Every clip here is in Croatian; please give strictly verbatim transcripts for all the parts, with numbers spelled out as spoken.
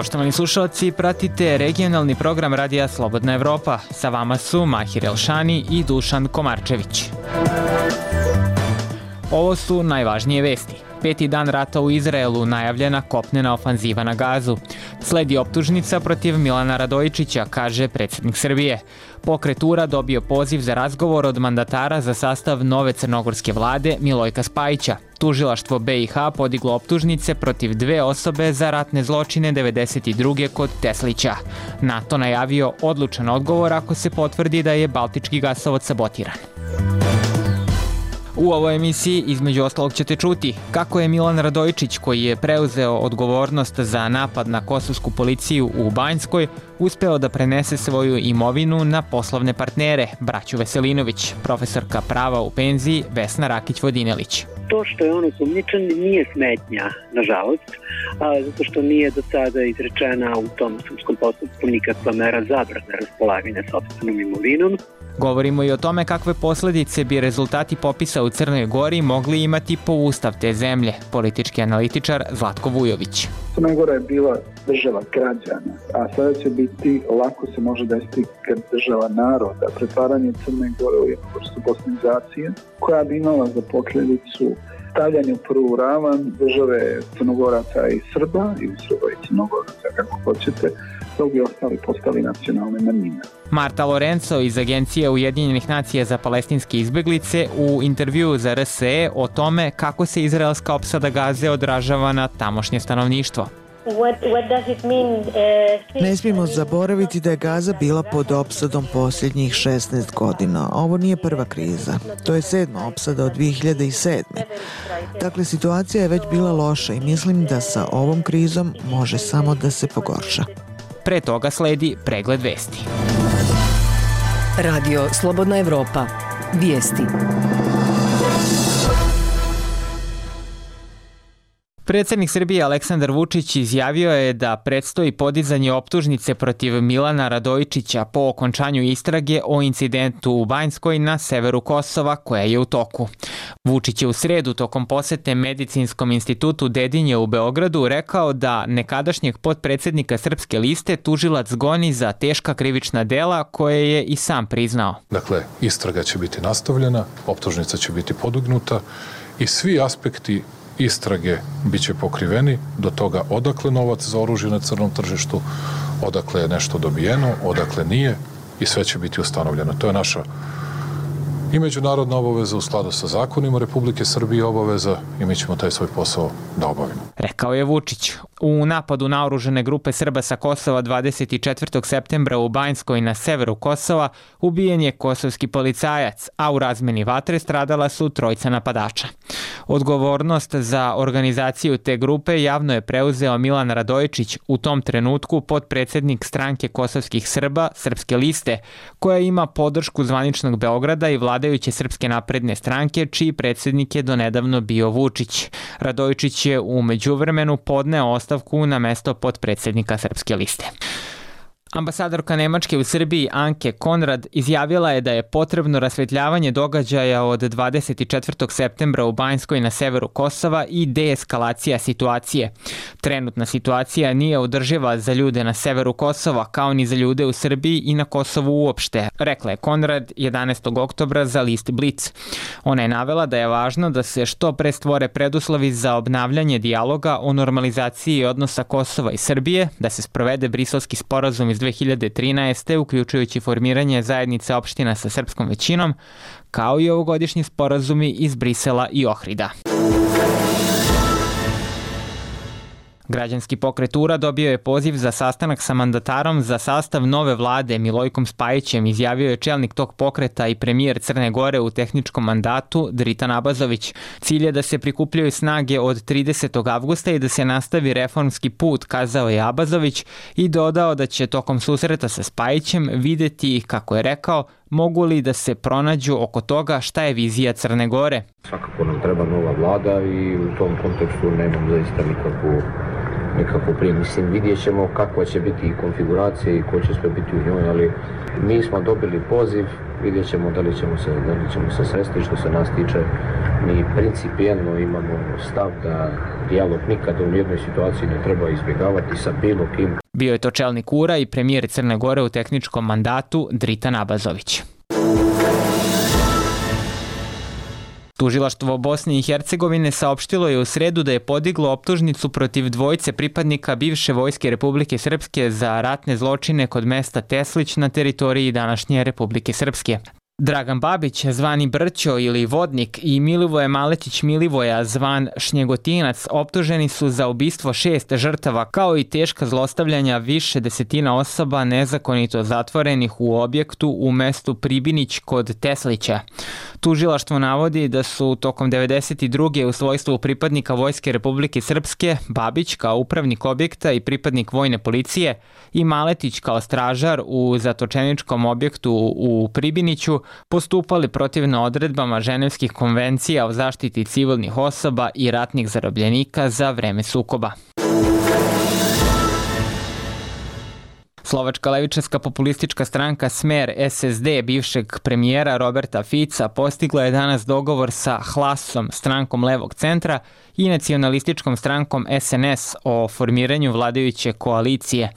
Poštovani slušalci, pratite regionalni program Radija Slobodna Evropa. Sa vama su Mahir Elšani i Dušan Komarčević. Ovo su najvažnije vesti. Peti dan rata u Izraelu, najavljena kopnena ofanziva na Gazu. Sledi optužnica protiv Milana Radojičića, kaže predsjednik Srbije. Pokret U R A dobio poziv za razgovor od mandatara za sastav nove crnogorske vlade Milojka Spajića. Tužilaštvo B i H podiglo optužnice protiv dve osobe za ratne zločine devedeset druge kod Teslića. NATO najavio odlučan odgovor ako se potvrdi da je Baltički gasovod sabotiran. U ovoj emisiji između ostalog ćete čuti kako je Milan Radojičić, koji je preuzeo odgovornost za napad na kosovsku policiju u Banjskoj, uspeo da prenese svoju imovinu na poslovne partnere, braću Veselinović, profesorka prava u penziji Vesna Rakić-Vodinelić. To što je on osumnjičen nije smetnja, nažalost, a zato što nije do sada izrečena u tom sudskom postupku nikakva mera zabrane raspolaganja sopstvenom imovinom. Govorimo i o tome kakve posledice bi rezultati popisa u Crnoj Gori mogli imati po ustav te zemlje, politički analitičar Zlatko Vujović. Crna Gora je bila država građana, a sada će biti, lako se može desiti država naroda, pretvaranje Crne Gore u jednu vrstu bosnizacije, koja bi imala za posljedicu stavljanje u prvu ravan države Crnogoraca i Srba, ili Srba i Crnogoraca, kako hoćete, dok bi ostali postali nacionalne manjine. Marta Lorenzo iz Agencije Ujedinjenih nacija za palestinske izbeglice u intervjuu za R S E o tome kako se izraelska opsada Gaze odražava na tamošnje stanovništvo. Ne smijemo zaboraviti da je Gaza bila pod opsadom posljednjih šesnaest godina. Ovo nije prva kriza. To je sedma opsada od dvije hiljade sedme. Dakle, situacija je već bila loša i mislim da sa ovom krizom može samo da se pogorša. Pre toga sledi pregled vesti. Radio Slobodna Evropa. Vijesti. Predsjednik Srbije Aleksandar Vučić izjavio je da predstoji podizanje optužnice protiv Milana Radojičića po okončanju istrage o incidentu u Banjskoj na severu Kosova koja je u toku. Vučić je u sredu tokom posete Medicinskom institutu Dedinje u Beogradu rekao da nekadašnjeg potpredsjednika Srpske liste tužilac goni za teška krivična dela koje je i sam priznao. Dakle, istraga će biti nastavljena, optužnica će biti podignuta i svi aspekti istrage bit će pokriveni do toga odakle novac za oružje na crnom tržištu, odakle je nešto dobijeno, odakle nije i sve će biti ustanovljeno. To je naša i međunarodna obaveza u skladu sa zakonima Republike Srbije obaveza i mi ćemo taj svoj posao da obavimo. Rekao je Vučić. U napadu na oružane grupe Srba sa Kosova dvadeset četvrtog septembra u Banjskoj na severu Kosova ubijen je kosovski policajac, a u razmeni vatre stradala su trojica napadača. Odgovornost za organizaciju te grupe javno je preuzeo Milan Radojičić, u tom trenutku potpredsjednik stranke kosovskih Srba, Srpske liste, koja ima podršku zvaničnog Beograda i vladajuće Srpske napredne stranke, čiji predsjednik je donedavno bio Vučić. Radojičić je u međuvremenu podneo ostavku na mesto potpredsjednika Srpske liste. Ambasadorka Nemačke u Srbiji Anke Konrad izjavila je da je potrebno rasvetljavanje događaja od dvadeset četvrtog septembra u Banjskoj na severu Kosova i deeskalacija situacije. Trenutna situacija nije održiva za ljude na severu Kosova kao ni za ljude u Srbiji i na Kosovu uopšte, rekla je Konrad jedanaestog oktobra za list Blic. Ona je navela da je važno da se što pre stvore preduslovi za obnavljanje dijaloga o normalizaciji odnosa Kosova i Srbije, da se sprovede Briselski sporazum iz dve hiljade trinaeste. uključujući formiranje zajednice opština sa srpskom većinom, kao i ovogodišnji sporazumi iz Brisela i Ohrida. Građanski pokret U R A dobio je poziv za sastanak sa mandatarom za sastav nove vlade Milojkom Spajićem, izjavio je čelnik tog pokreta i premijer Crne Gore u tehničkom mandatu Dritan Abazović. Cilj je da se prikupljaju snage od tridesetog avgusta i da se nastavi reformski put, kazao je Abazović i dodao da će tokom susreta sa Spajićem videti, kako je rekao, mogu li da se pronađu oko toga šta je vizija Crne Gore. Svakako nam treba nova vlada i u tom kontekstu nemam zaista nikakvu nikakvu prije. Mislim, vidjet ćemo kakva će biti i konfiguracija i ko će sve biti u njoj, ali mi smo dobili poziv, vidjet ćemo da li ćemo se, da li ćemo se sresti. Što se nas tiče, Mi principijelno imamo stav da dijalog nikada u jednoj situaciji ne treba izbjegavati sa bilo kim. Bio je to čelnik U R A i premijer Crne Gore u tehničkom mandatu Dritan Abazović. Tužilaštvo Bosne i Hercegovine saopštilo je u sredu da je podiglo optužnicu protiv dvojice pripadnika bivše vojske Republike Srpske za ratne zločine kod mesta Teslić na teritoriji današnje Republike Srpske. Dragan Babić, zvani Brćo ili Vodnik, i Milivoje Maletić Milivoja, zvan Šnjegotinac, optuženi su za ubistvo šest žrtava, kao i teška zlostavljanja više desetina osoba nezakonito zatvorenih u objektu u mestu Pribinić kod Teslića. Tužilaštvo navodi da su tokom devedeset druge u svojstvu pripadnika Vojske Republike Srpske Babić kao upravnik objekta i pripadnik vojne policije i Maletić kao stražar u zatočeničkom objektu u Pribiniću postupali protivno odredbama Ženevskih konvencija o zaštiti civilnih osoba i ratnih zarobljenika za vreme sukoba. Slovačka levičarska populistička stranka Smer S S D bivšeg premijera Roberta Fica postigla je danas dogovor sa Hlasom, strankom levog centra, i nacionalističkom strankom S N S o formiranju vladajuće koalicije.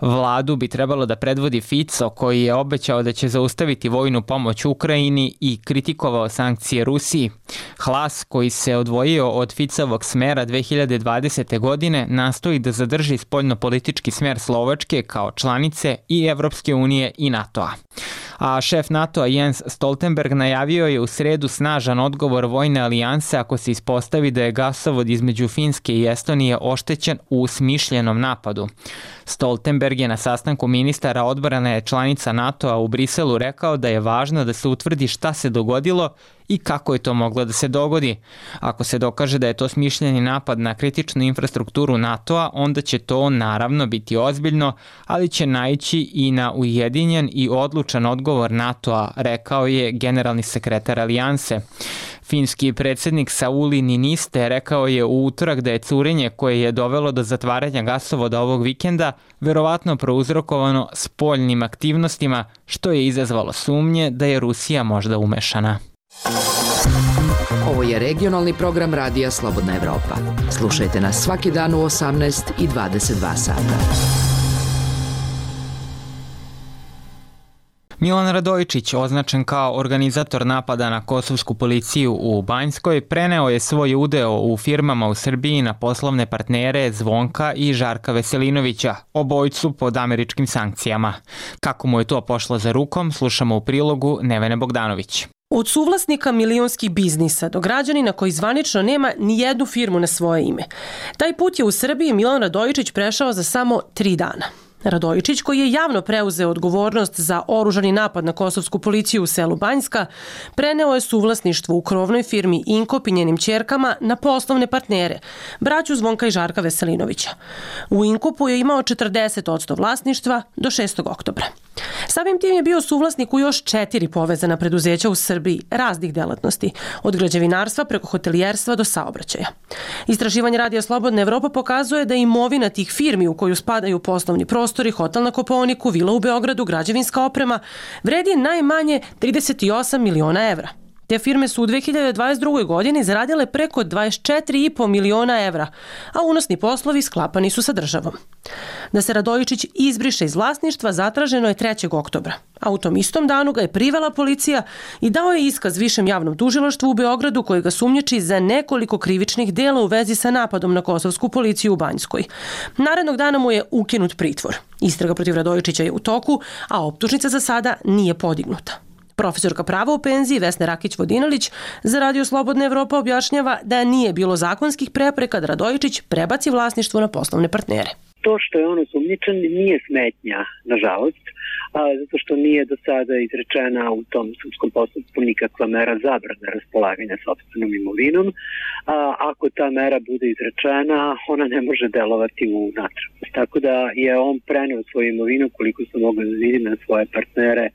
Vladu bi trebalo da predvodi Fico, koji je obećao da će zaustaviti vojnu pomoć Ukrajini i kritikovao sankcije Rusiji. Hlas, koji se odvojio od Ficovog Smera dve hiljade dvadesete. godine, nastoji da zadrži spoljnopolitički smer Slovačke kao članice i Evropske unije i NATO-a. A šef NATO-a Jens Stoltenberg najavio je u sredu snažan odgovor vojne alijanse ako se ispostavi da je gasovod između Finske i Estonije oštećen u smišljenom napadu. Stoltenberg je na sastanku ministara odbrane članica NATO-a u Briselu rekao da je važno da se utvrdi šta se dogodilo i kako je to moglo da se dogodi. Ako se dokaže da je to smišljeni napad na kritičnu infrastrukturu NATO-a, onda će to naravno biti ozbiljno, ali će naići i na ujedinjen i odlučan odgovor NATO-a, rekao je generalni sekretar alijanse. Finski predsjednik Sauli Niinistö rekao je u utorak da je curenje koje je dovelo do zatvaranja gasovoda ovog vikenda verovatno prouzrokovano spoljnim aktivnostima, što je izazvalo sumnje da je Rusija možda umešana. Ovo je regionalni program Radija Slobodna Evropa. Slušajte nas svaki dan u osamnaest i dvadeset dva sata. Milan Radojičić, označen kao organizator napada na kosovsku policiju u Banjskoj, preneo je svoj udeo u firmama u Srbiji na poslovne partnere Zvonka i Žarka Veselinovića, obojcu pod američkim sankcijama. Kako mu je to pošlo za rukom, slušamo u prilogu Nevene Bogdanović. Od suvlasnika milionskih biznisa do građanina koji zvanično nema ni jednu firmu na svoje ime. Taj put je u Srbiji Milan Radojičić prešao za samo tri dana. Radojičić, koji je javno preuzeo odgovornost za oružani napad na kosovsku policiju u selu Banjska, preneo je suvlasništvo u krovnoj firmi Inkop i njenim ćerkama na poslovne partnere, braću Zvonka i Žarka Veselinovića. U Inkopu je imao četrdeset posto vlasništva do šestog oktobra. Samim tim je bio suvlasnik u još četiri povezana preduzeća u Srbiji raznih delatnosti, od građevinarstva preko hotelijerstva do saobraćaja. Istraživanje Radija Slobodna Evropa pokazuje da imovina tih firmi u koju spadaju poslovni prostori, hotel na Kopaoniku, vila u Beogradu, građevinska oprema, vredi najmanje trideset osam miliona evra. Te firme su u dve hiljade dvadeset drugoj. godini zaradile preko dvadeset četiri i po miliona evra, a unosni poslovi sklapani su sa državom. Da se Radojičić izbriše iz vlasništva zatraženo je trećeg oktobra, a u tom istom danu ga je privela policija i dao je iskaz Višem javnom tužilaštvu u Beogradu koji ga sumnjiči za nekoliko krivičnih dela u vezi sa napadom na kosovsku policiju u Banjskoj. Narednog dana mu je ukinut pritvor. Istraga protiv Radojičića je u toku, a optužnica za sada nije podignuta. Profesorka prava u penziji Vesna Rakić-Vodinelić za Radio Slobodna Evropa objašnjava da nije bilo zakonskih prepreka da Radojičić prebaci vlasništvo na poslovne partnere. To što je on osumnjičen nije smetnja, nažalost, a, zato što nije do sada izrečena u tom sudskom postupku nikakva mera zabrane raspolaganja sopstvenom imovinom. A, ako ta mera bude izrečena, ona ne može delovati u natrag. Tako da je on preneo svoju imovinu, koliko se mogu da vidi, na svoje partnere.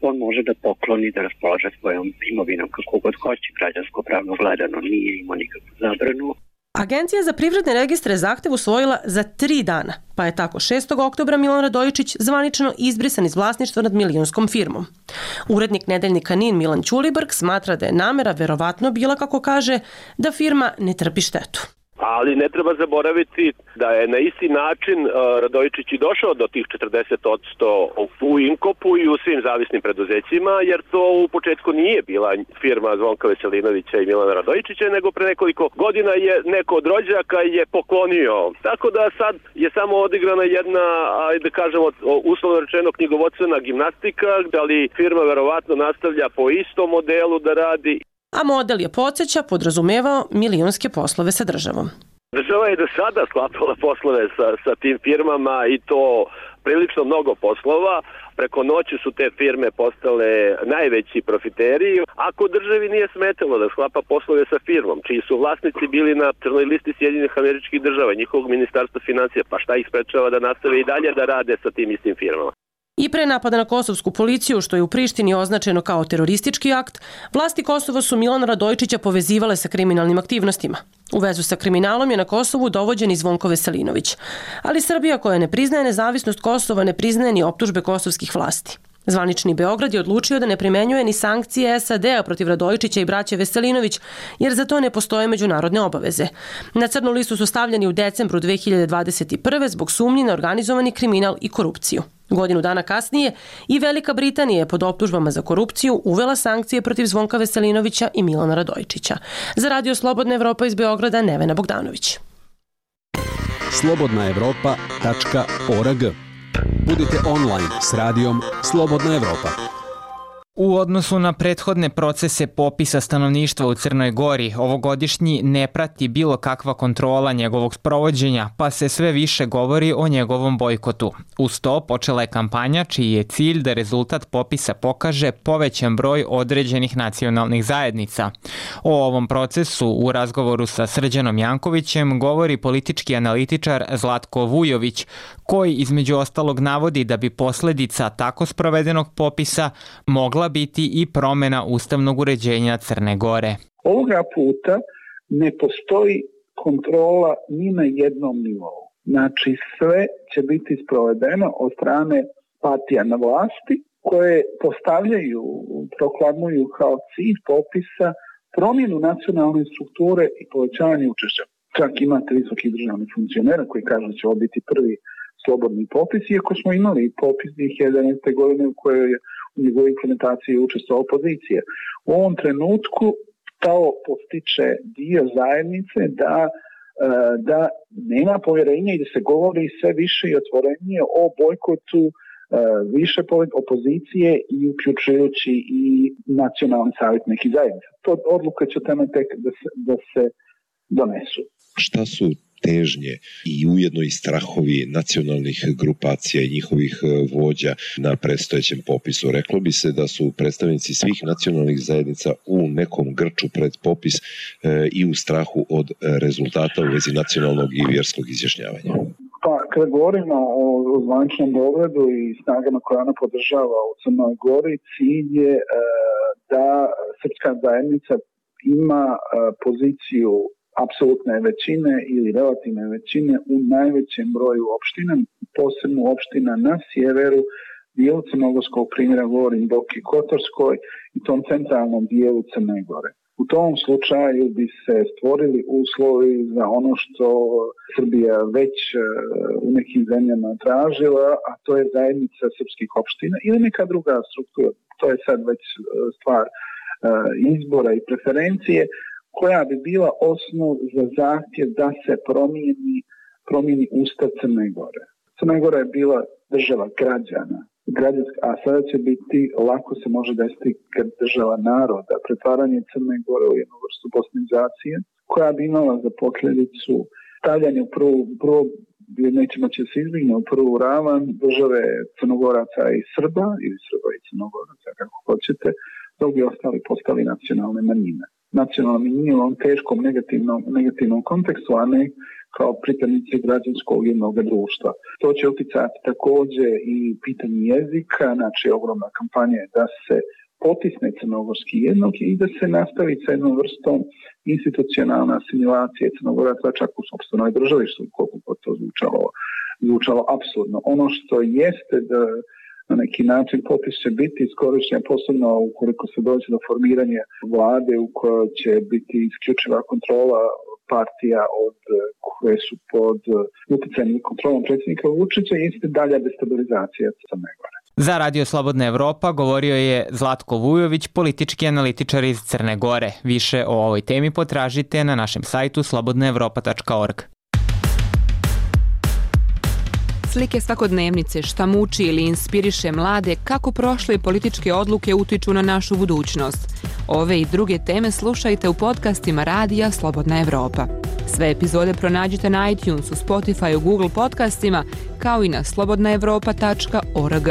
On može da pokloni, da raspolaže svojom imovinom kako god hoće, građansko pravno gledano nije imao nikakvu zabranu. Agencija za privredne registre zahtev usvojila za tri dana, pa je tako šestog oktobra Milan Radojičić zvanično izbrisan iz vlasništva nad milionskom firmom. Urednik nedeljnika N I N Milan Ćulibrk smatra da je namera verovatno bila, kako kaže, da firma ne trpi štetu. Ali ne treba zaboraviti da je na isti način uh, Radojičić i došao do tih četrdeset posto u Inkopu i u svim zavisnim preduzećima, jer to u početku nije bila firma Zvonka Veselinovića i Milana Radojičića, nego pre nekoliko godina je neko od rođaka je poklonio. Tako da sad je samo odigrana jedna, ajde da kažemo, uslovno rečeno knjigovodstvena gimnastika, da li firma verovatno nastavlja po istom modelu da radi. A model je, podsjeća, podrazumevao milionske poslove sa državom. Država je do sada sklapala poslove sa, sa tim firmama i to prilično mnogo poslova. Preko noći su te firme postale najveći profiteri. Ako državi nije smetalo da sklapa poslove sa firmom, čiji su vlasnici bili na crnoj listi Sjedinjenih Američkih Država, njihovog ministarstva financija, pa šta ih sprečava da nastave i dalje da rade sa tim istim firmama? I pre napada na kosovsku policiju, što je u Prištini označeno kao teroristički akt, vlasti Kosova su Milana Radojičića povezivale sa kriminalnim aktivnostima. U vezu sa kriminalom je na Kosovu dovođen i Zvonko Veselinović. Ali Srbija, koja ne priznaje nezavisnost Kosova, ne priznaje ni optužbe kosovskih vlasti. Zvanični Beograd je odlučio da ne primenjuje ni sankcije S A D-a protiv Radojičića i braće Veselinović, jer za to ne postoje međunarodne obaveze. Na crnu listu su stavljeni u decembru dve hiljade dvadeset prve zbog sumnji na organizovani kriminal i korupciju. Godinu dana kasnije i Velika Britanija je pod optužbama za korupciju uvela sankcije protiv Zvonka Veselinovića i Milana Radojičića. Za Radio Slobodna Evropa iz Beograda, Nevena Bogdanović. slobodna evropa tačka org. Budite online s radijom Slobodna Evropa. U odnosu na prethodne procese popisa stanovništva u Crnoj Gori, ovogodišnji ne prati bilo kakva kontrola njegovog sprovođenja, pa se sve više govori o njegovom bojkotu. Uz to počela je kampanja čiji je cilj da rezultat popisa pokaže povećan broj određenih nacionalnih zajednica. O ovom procesu u razgovoru sa Srđanom Jankovićem govori politički analitičar Zlatko Vujović, koji između ostalog navodi da bi posledica tako sprovedenog popisa mogla biti i promjena ustavnog uređenja Crne Gore. Ovoga puta ne postoji kontrola ni na jednom nivou. Znači sve će biti sprovedeno od strane partija na vlasti koje postavljaju, proklamuju kao cilj popisa promjenu nacionalne strukture i povećanje učešća. Čak imate visokih državnih funkcionera koji kažu da će ovo biti prvi slobodni popis, iako smo imali popis dvije hiljade jedanaeste. godine u kojoj je u njegovoj implementaciji učestvovao opozicija. U ovom trenutku to postiče dio zajednice da, da nema povjerenja i da se govori sve više i otvorenije o bojkotu više opozicije i uključujući i nacionalni savjet nekih zajednica. To odluka će tamo tek da se, da se donesu. Šta su težnje i ujedno i strahovi nacionalnih grupacija i njihovih vođa na predstojećem popisu? Reklo bi se da su predstavnici svih nacionalnih zajednica u nekom grču pred popis e, i u strahu od rezultata u vezi nacionalnog i vjerskog izjašnjavanja. Pa, kada govorimo o, o zvaničnom Beogradu i snagama koje ona podržava u Crnoj Gori, cilj je e, da srpska zajednica ima e, poziciju apsolutne većine ili relativne većine u najvećem broju opština, posebno opština na sjeveru, dijelu Crnogorskog primjera, govorim Boki Kotorskoj i tom centralnom dijelu Crne Gore. U tom slučaju bi se stvorili uslovi za ono što Srbija već u nekim zemljama tražila, a to je zajednica srpskih opština ili neka druga struktura. To je sad već stvar izbora i preferencije, koja bi bila osnov za zahtjev da se promijeni, promijeni Ustav Crne Gore. Crna Gora je bila država građana, građanska, a sada će biti, lako se može desiti država naroda, pretvaranje Crne Gore u jednu vrstu bosnizacije, koja bi imala za posljedicu stavljanje u prvu, prvu nećemo će se izbigne u prvu ravan države Crnogoraca i Srba, ili Srba i Crnogoraca, kako hoćete, dok bi ostali postali nacionalne manjine. Nacionalna manjina u ovom teškom negativnom, negativnom kontekstu, a ne kao pripadnici građanskog jednog društva. To će uticati također i pitanje jezika, znači ogromna kampanja je da se potisne crnogorski jednog i da se nastavi sa jednom vrstom institucionalne asimilacije Crnogoraca čak u sopstvenoj državi, što koliko god to zvučalo, zvučalo apsurdno. Ono što jeste da na neki način popis će biti iskorišćen, posebno ukoliko se dođe do formiranja vlade u kojoj će biti isključiva kontrola partija od koje su pod utjecajem i kontrolom predsjednika Vučića, jeste dalja destabilizacija Crne Gore. Za Radio Slobodna Evropa govorio je Zlatko Vujović, politički analitičar iz Crne Gore. Više o ovoj temi potražite na našem sajtu slobodna evropa tačka org. Slike svakodnevnice, šta muči ili inspiriše mlade, kako prošle političke odluke utiču na našu budućnost. Ove i druge teme slušajte u podcastima Radija Slobodna Evropa. Sve epizode pronađite na iTunesu, Spotifyu, Google podcastima, kao i na slobodna evropa tačka org.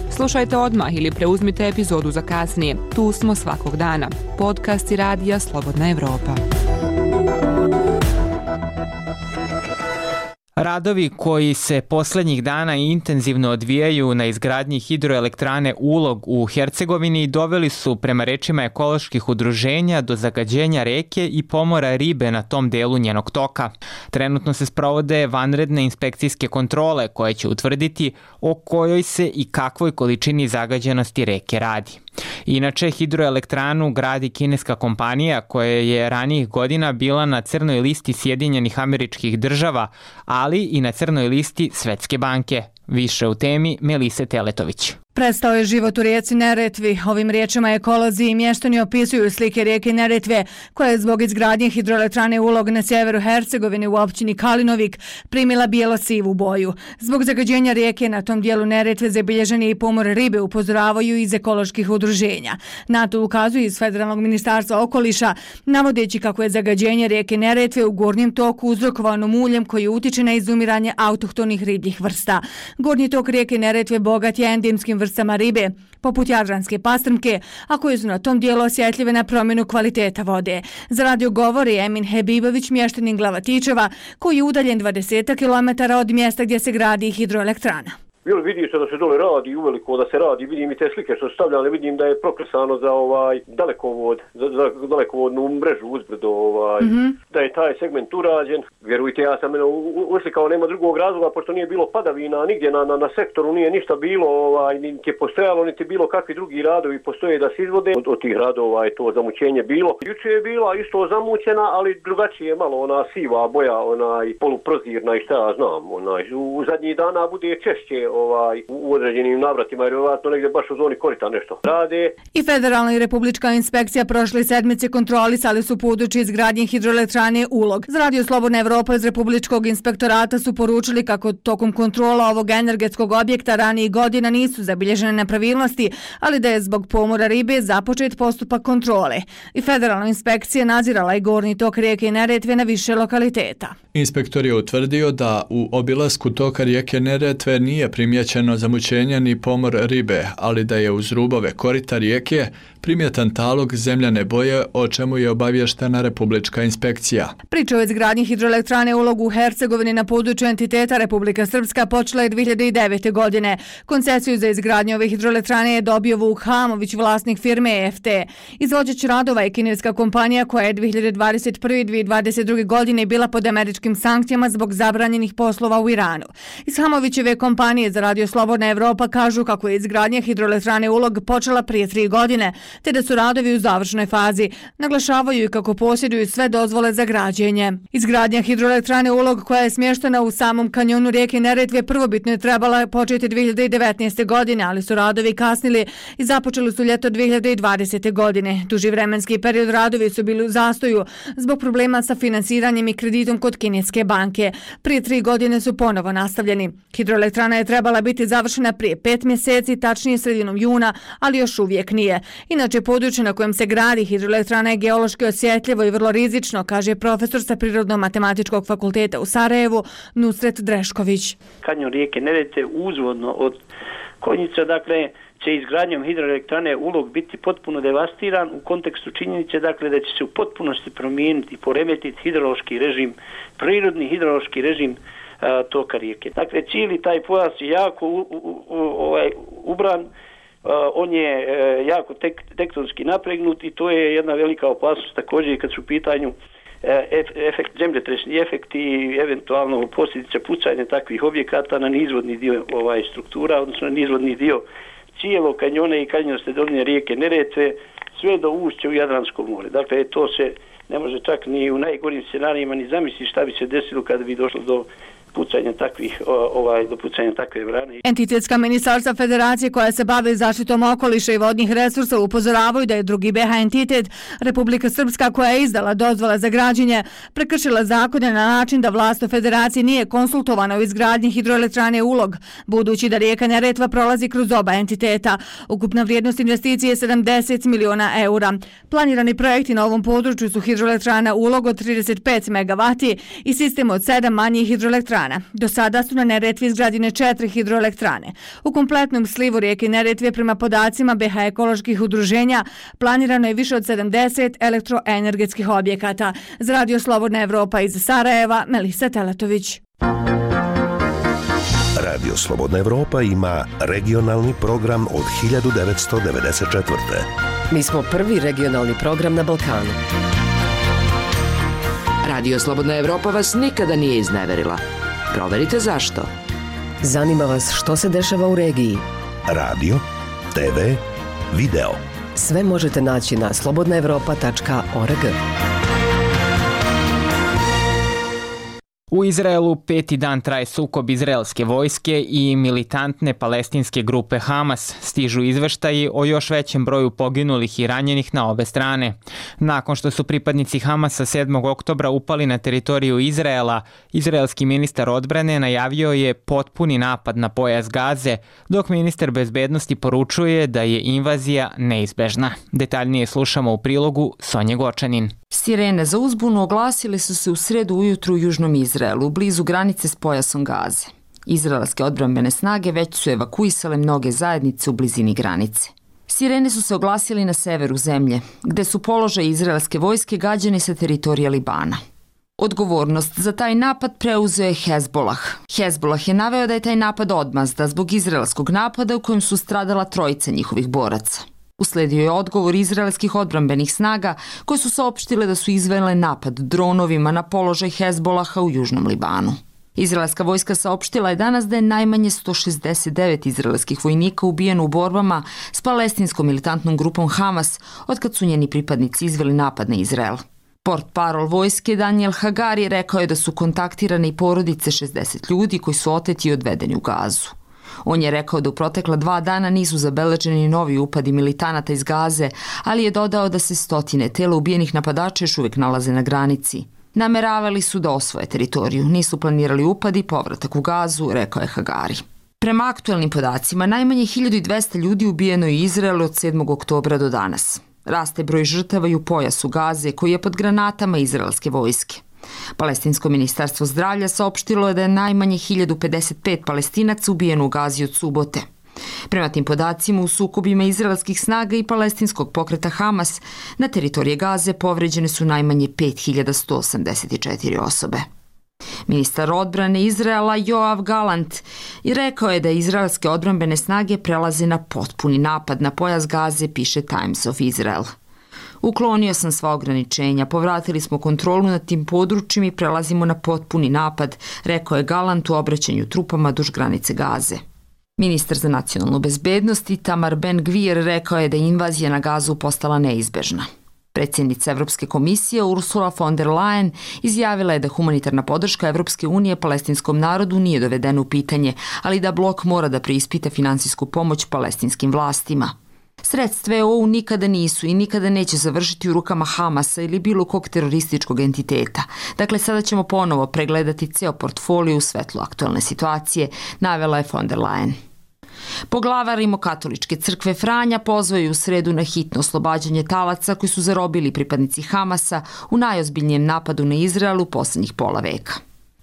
Slušajte odmah ili preuzmite epizodu za kasnije. Tu smo svakog dana. Podcasti Radija Slobodna Evropa. Radovi koji se posljednjih dana intenzivno odvijaju na izgradnji hidroelektrane Ulog u Hercegovini doveli su, prema rečima ekoloških udruženja, do zagađenja reke i pomora ribe na tom delu njenog toka. Trenutno se sprovode vanredne inspekcijske kontrole koje će utvrditi o kojoj se i kakvoj količini zagađenosti reke radi. Inače, hidroelektranu gradi kineska kompanija koja je ranijih godina bila na crnoj listi Sjedinjenih Američkih Država, ali i na crnoj listi Svetske banke. Više u temi Melise Teletović. Prestao je život u rijeci Neretvi. Ovim riječima ekolozi i mještani opisuju slike rijeke Neretve, koja je zbog izgradnje hidroelektrane Ulog na sjeveru Hercegovine u općini Kalinovik primila bijelo-sivu boju. Zbog zagađenja rijeke na tom dijelu Neretve zabilježen je i pomor ribe, upozoravaju iz ekoloških udruženja. Na to ukazuju iz Federalnog ministarstva okoliša, navodeći kako je zagađenje rijeke Neretve u gornjem toku uzrokovano muljem koji utiče na izumiranje autohtonih ribljih vrsta. Gornji tok rijeke Neretve bogat je endemskim vrstama ribe, poput jadranske pastrmke, a koje su na tom dijelu osjetljive na promjenu kvaliteta vode. Za radio govori Emin Hebibović, mještanin Glavatičeva, koji je udaljen dvadeset kilometara od mjesta gdje se gradi hidroelektrana. Bilo vidi se da se dole radi, uveliko da se radi, vidim i te slike što su stavljali, vidim da je prokresano za ovaj dalekovod, za, za dalekovodnu mrežu uzbrdo, ovaj, mm-hmm. da je taj segment urađen. Vjerujte, ja sam uslikao, nema drugog razloga, pošto nije bilo padavina, nigdje na, na, na sektoru nije ništa bilo, ovaj, niti je postojalo, niti bilo kakvi drugi radovi postoje da se izvode. Od, od tih radova je to zamućenje bilo. Juče je bila isto zamućena, ali drugačije malo, ona siva boja, onaj poluprozirna i šta ja znam, onaj, u zadnjih dana bude češće ovaj, u određenim navratima, jer vjerojatno negdje baš u zoni korita nešto rade. I federalna i republička inspekcija prošle sedmice kontrolisali su područje izgradnje hidroelektrane Ulog. Za Radio Slobodna Evropa iz Republičkog inspektorata su poručili kako tokom kontrola ovog energetskog objekta ranijih godina nisu zabilježene nepravilnosti, ali da je zbog pomora ribe započet postupak kontrole. I federalna inspekcija nadzirala i gornji tok rijeke Neretve na više lokaliteta. Inspektor je utvrdio da u obilasku toka rijeke Neretve nije primjećeno zamućenje ni pomor ribe, ali da je uz rubove korita rijeke primjetan talog zemljane boje, o čemu je obavještena Republička inspekcija. Priča o izgradnji hidroelektrane Ulog u Hercegovini na području entiteta Republika Srpska počela je dvije hiljade devete. godine. Koncesiju za izgradnju ove hidroelektrane je dobio Vuk Hamović, vlasnik firme E F T. Izvođač radova je kineska kompanija koja je dvije hiljade dvadeset prve i dvije hiljade dvadeset druge. godine bila pod američkim sankcijama zbog zabranjenih poslova u Iranu. Iz Hamovićeve kompanije za Radio Slobodna Evropa kažu kako je izgradnja hidroelektrane Ulog počela prije tri godine, te da su radovi u završnoj fazi. Naglašavaju i kako posjeduju sve dozvole za građenje. Izgradnja hidroelektrane Ulog, koja je smještena u samom kanjonu rijeke Neretve, prvobitno je trebala početi dvije hiljade devetnaeste. godine, ali su radovi kasnili i započeli su ljeto dvije hiljade dvadesete. godine. Duži vremenski period radovi su bili u zastoju zbog problema sa finansiranjem i kreditom kod kineske banke. Prije tri godine su ponovo nastavljeni. Hidroelektrana je trebala biti završena prije pet mjeseci, tačnije sredinom juna, ali još uvijek nije. Inače, područje na kojem se gradi hidroelektrana je geološki osjetljivo i vrlo rizično, kaže profesor sa Prirodno-matematičkog fakulteta u Sarajevu, Nusret Drešković. Kanjon rijeke Neretve uzvodno od Konjica, dakle, će izgradnjom hidroelektrane Ulog biti potpuno devastiran u kontekstu činjenice, dakle, da će se u potpunosti promijeniti i poremetiti hidrološki režim, prirodni hidrološki režim a, toka rijeke. Dakle, cijeli taj pojas je jako u, u, u, ovaj, ubran, on je jako tek, tektonski napregnut i to je jedna velika opasnost također kad su u pitanju efekt, zemljotresni efekti i eventualno posljedice pucanja takvih objekata na nizvodni dio ovaj, struktura, odnosno na nizvodni dio cijelog kanjona i kanjonske doline rijeke Neretve, sve do ušća u Jadransko more. Dakle, to se ne može čak ni u najgorim scenarijima ni zamisliti šta bi se desilo kada bi došlo do pucanja takvih, ovaj, do pucanja takve vrane. Entitetska ministarstva federacije koja se bave zaštitom okoliša i vodnih resursa upozoravaju da je drugi B H entitet, Republika Srpska, koja je izdala dozvole za građenje, prekršila zakone na način da vlast u federaciji nije konsultovana u izgradnji hidroelektrane Ulog, budući da rijeka Neretva prolazi kroz oba entiteta. Ukupna vrijednost investicije je sedamdeset miliona eura. Planirani projekti na ovom području su hidroelektrana Ulog od trideset pet megavati i sistem od sedam manjih hidroelektrana. Do sada su na Neretvi izgrađene četiri hidroelektrane. U kompletnom slivu rijeke Neretve prema podacima B H ekoloških udruženja planirano je više od sedamdeset elektroenergetskih objekata. Za Radio Slobodna Evropa iz Sarajeva, Melisa Teletović. Radio Slobodna Evropa ima regionalni program od hiljadu devetsto devedeset četvrte. Mi smo prvi regionalni program na Balkanu. Radio Slobodna Evropa vas nikada nije izneverila. Proverite zašto. Zanima vas što se dešava u regiji. Radio, te ve, video. Sve možete naći na slobodna evropa tačka org. U Izraelu peti dan traje sukob izraelske vojske i militantne palestinske grupe Hamas. Stižu izveštaji o još većem broju poginulih i ranjenih na obe strane. Nakon što su pripadnici Hamasa sedmog oktobra upali na teritoriju Izraela, izraelski ministar odbrane najavio je potpuni napad na pojas Gaze, dok ministar bezbednosti poručuje da je invazija neizbežna. Detaljnije slušamo u prilogu Sonje Gočanin. Sirene za uzbunu oglasile su se u sredu ujutru u južnom Izraelu, blizu granice s pojasom Gaze. Izraelske odbrambene snage već su evakuisale mnoge zajednice u blizini granice. Sirene su se oglasili na severu zemlje, gde su položaj izraelske vojske gađani sa teritorija Libana. Odgovornost za taj napad preuzeo je Hezbolah. Hezbolah je naveo da je taj napad odmazda zbog izraelskog napada u kojem su stradala trojica njihovih boraca. Usledio je odgovor izraelskih odbrambenih snaga koje su saopštile da su izvele napad dronovima na položaj Hezbolaha u južnom Libanu. Izraelska vojska saopštila je danas da je najmanje sto šezdeset devet izraelskih vojnika ubijeno u borbama s palestinskom militantnom grupom Hamas otkad su njeni pripadnici izveli napad na Izrael. Portparol vojske Daniel Hagari rekao je da su kontaktirane i porodice šezdeset ljudi koji su oteti i odvedeni u Gazu. On je rekao da u protekla dva dana nisu zabeleženi novi upadi militanata iz Gaze, ali je dodao da se stotine tela ubijenih napadača još uvijek nalaze na granici. Nameravali su da osvoje teritoriju, nisu planirali upad i povratak u Gazu, rekao je Hagari. Prema aktuelnim podacima, najmanje hiljadu dvesta ljudi ubijeno je u Izraelu od sedmog oktobra do danas. Raste broj žrtava i u pojasu Gaze koji je pod granatama izraelske vojske. Palestinsko ministarstvo zdravlja saopštilo je da je najmanje hiljadu pedeset pet Palestinaca ubijeno u Gazi od subote. Prema tim podacima, u sukobima izraelskih snaga i palestinskog pokreta Hamas na teritorije Gaze povređene su najmanje pet hiljada sto osamdeset četiri osobe. Ministar odbrane Izraela Joav Galant i rekao je da izraelske odbrambene snage prelaze na potpuni napad na pojas Gaze, piše Times of Israel. Uklonio sam sva ograničenja, povratili smo kontrolu nad tim područjem i prelazimo na potpuni napad, rekao je Galant u obraćanju trupama duž granice Gaze. Ministar za nacionalnu bezbednost Itamar Ben-Gvir rekao je da je invazija na Gazu postala neizbežna. Predsjednica Evropske komisije Ursula von der Leyen izjavila je da humanitarna podrška Evropske unije palestinskom narodu nije dovedena u pitanje, ali da blok mora da preispita finansijsku pomoć palestinskim vlastima. Sredstva E U nikada nisu i nikada neće završiti u rukama Hamasa ili bilo kog terorističkog entiteta. Dakle, sada ćemo ponovo pregledati ceo portfolio u svetlu aktualne situacije, navela je von der Leyen. Poglavar Rimokatoličke crkve Franja pozvao je u sredu na hitno oslobađanje talaca koji su zarobili pripadnici Hamasa u najozbiljnijem napadu na Izrael u posljednjih pola veka.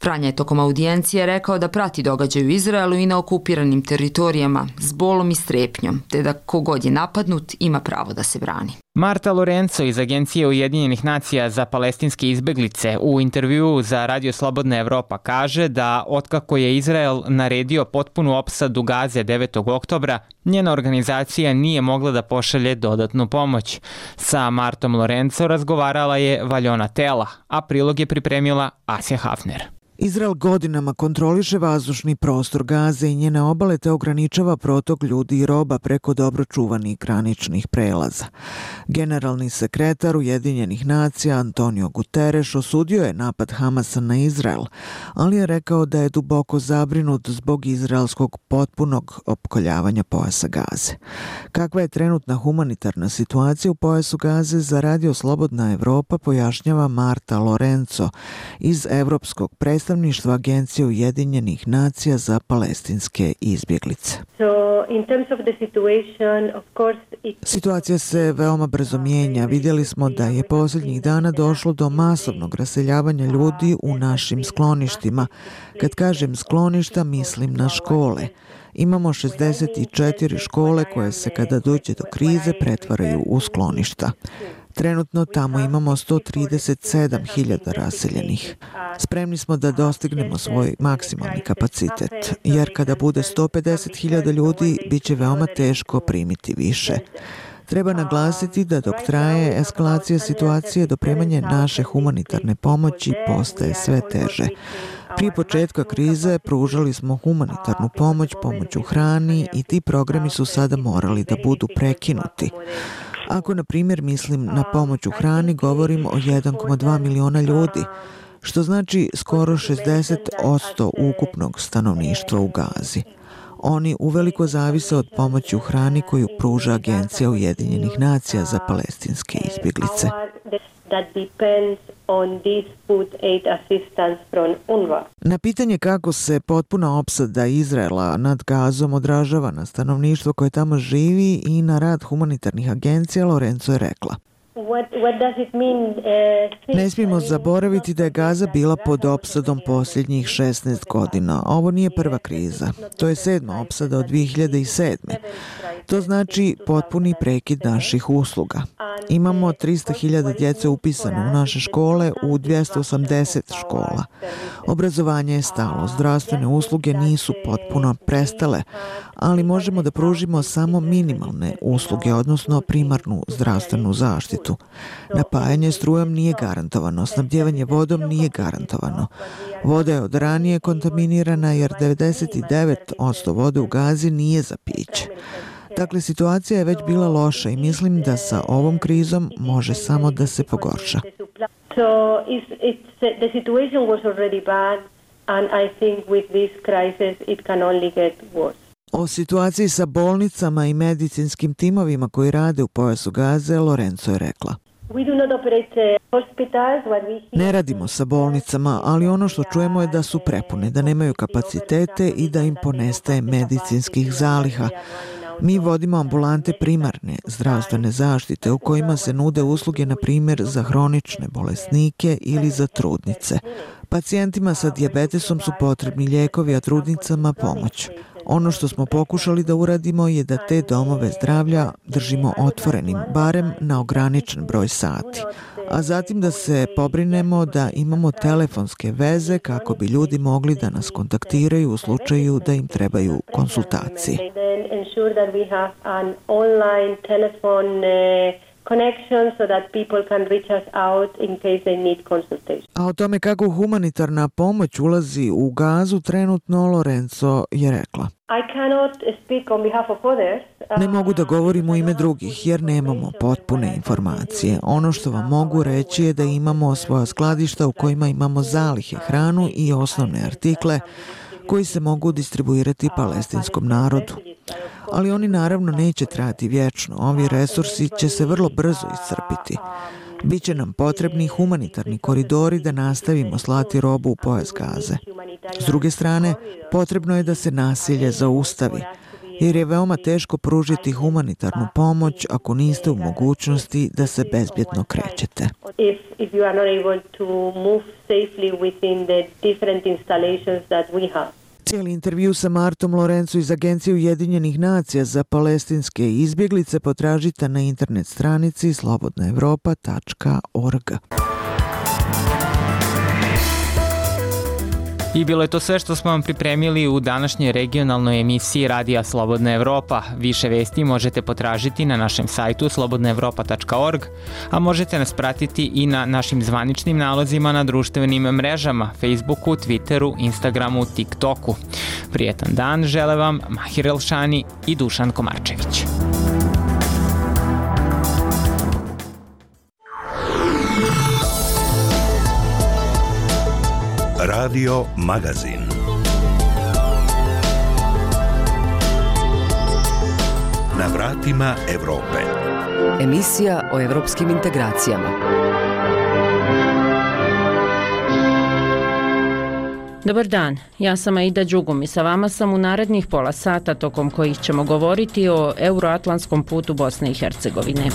Franja je tokom audijencije rekao da prati događaj u Izraelu i na okupiranim teritorijama s bolom i strepnjom, te da kogod je napadnut ima pravo da se brani. Marta Lorenzo iz Agencije Ujedinjenih nacija za palestinske izbeglice u intervjuu za Radio Slobodna Evropa kaže da otkako je Izrael naredio potpunu opsadu Gaze devetog oktobra, njena organizacija nije mogla da pošalje dodatnu pomoć. Sa Martom Lorenzo razgovarala je Valjona Tela, a prilog je pripremila Asja Hafner. Izrael godinama kontroliše vazdušni prostor Gaze i njene obale te ograničava protok ljudi i roba preko dobro čuvanih graničnih prelaza. Generalni sekretar Ujedinjenih nacija Antonio Guterres osudio je napad Hamasa na Izrael, ali je rekao da je duboko zabrinut zbog izraelskog potpunog opkoljavanja pojasa Gaze. Kakva je trenutna humanitarna situacija u pojasu Gaze, za Radio Slobodna Evropa pojašnjava Marta Lorenzo iz Evropskog predstavnika predstavništva Agencije Ujedinjenih nacija za palestinske izbjeglice. Situacija se veoma brzo mijenja. Vidjeli smo da je posljednjih dana došlo do masovnog raseljavanja ljudi u našim skloništima. Kad kažem skloništa, mislim na škole. Imamo šezdeset četiri škole koje se kada dođe do krize pretvaraju u skloništa. Trenutno tamo imamo sto trideset sedam hiljada raseljenih. Spremni smo da dostignemo svoj maksimalni kapacitet, jer kada bude sto pedeset hiljada ljudi, bit će veoma teško primiti više. Treba naglasiti da dok traje eskalacija situacije, dopremanje naše humanitarne pomoći postaje sve teže. Prije početka krize pružali smo humanitarnu pomoć, pomoć u hrani i ti programi su sada morali da budu prekinuti. Ako, na primjer, mislim na pomoć u hrani, govorim o jedan zarez dva miliona ljudi, što znači skoro šezdeset posto ukupnog stanovništva u Gazi. Oni uveliko zavise od pomoći u hrani koju pruža Agencija Ujedinjenih nacija za palestinske izbjeglice. Na pitanje kako se potpuna opsada Izraela nad Gazom odražava na stanovništvo koje tamo živi i na rad humanitarnih agencija, Lorenzo je rekla: Ne smijemo zaboraviti da je Gaza bila pod opsadom posljednjih šesnaest godina. Ovo nije prva kriza. To je sedma opsada od dvije hiljade sedme. To znači potpuni prekid naših usluga. Imamo trista hiljada djece upisano u naše škole u dvjesto osamdeset škola. Obrazovanje je stalo, zdravstvene usluge nisu potpuno prestale, ali možemo da pružimo samo minimalne usluge, odnosno primarnu zdravstvenu zaštitu. Napajanje strujom nije garantovano, snabdjevanje vodom nije garantovano. Voda je od ranije kontaminirana jer devedeset devet posto vode u Gazi nije za piće. Dakle, situacija je već bila loša i mislim da sa ovom krizom može samo da se pogorša. O situaciji sa bolnicama i medicinskim timovima koji rade u pojasu Gaze, Lorenzo je rekla: Ne radimo sa bolnicama, ali ono što čujemo je da su prepune, da nemaju kapacitete i da im ponestaje medicinskih zaliha. Mi vodimo ambulante primarne zdravstvene zaštite u kojima se nude usluge, na primjer, za hronične bolesnike ili za trudnice. Pacijentima sa dijabetesom su potrebni lijekovi, a trudnicama pomoć. Ono što smo pokušali da uradimo je da te domove zdravlja držimo otvorenim, barem na ograničen broj sati. A zatim da se pobrinemo da imamo telefonske veze kako bi ljudi mogli da nas kontaktiraju u slučaju da im trebaju konsultacije. A o tome kako humanitarna pomoć ulazi u Gazu trenutno, Lorenzo je rekla: Ne mogu da govorim u ime drugih jer nemamo potpune informacije. Ono što vam mogu reći je da imamo svoja skladišta u kojima imamo zalihe, hranu i osnovne artikle koji se mogu distribuirati palestinskom narodu. Ali oni naravno neće trajati vječno. Ovi resursi će se vrlo brzo iscrpiti. Biće nam potrebni humanitarni koridori da nastavimo slati robu u pojas Gaze. S druge strane, potrebno je da se nasilje zaustavi, jer je veoma teško pružiti humanitarnu pomoć ako niste u mogućnosti da se bezbjedno krećete. Cijeli intervju sa Martom Lorenzo iz Agencije Ujedinjenih nacija za palestinske izbjeglice potražite na internet stranici slobodna evropa tačka org. I bilo je to sve što smo vam pripremili u današnjoj regionalnoj emisiji Radija Slobodna Evropa. Više vesti možete potražiti na našem sajtu slobodna evropa tačka org, a možete nas pratiti i na našim zvaničnim nalozima na društvenim mrežama, Facebooku, Twitteru, Instagramu, TikToku. Prijetan dan žele vam Mahir Elšani i Dušan Komarčević. Radio Magazin. Na vratima Evrope. Emisija o evropskim integracijama. Dobar dan, ja sam Aida Đugum i sa vama sam u narednih pola sata tokom kojih ćemo govoriti o euroatlantskom putu Bosne i Hercegovine.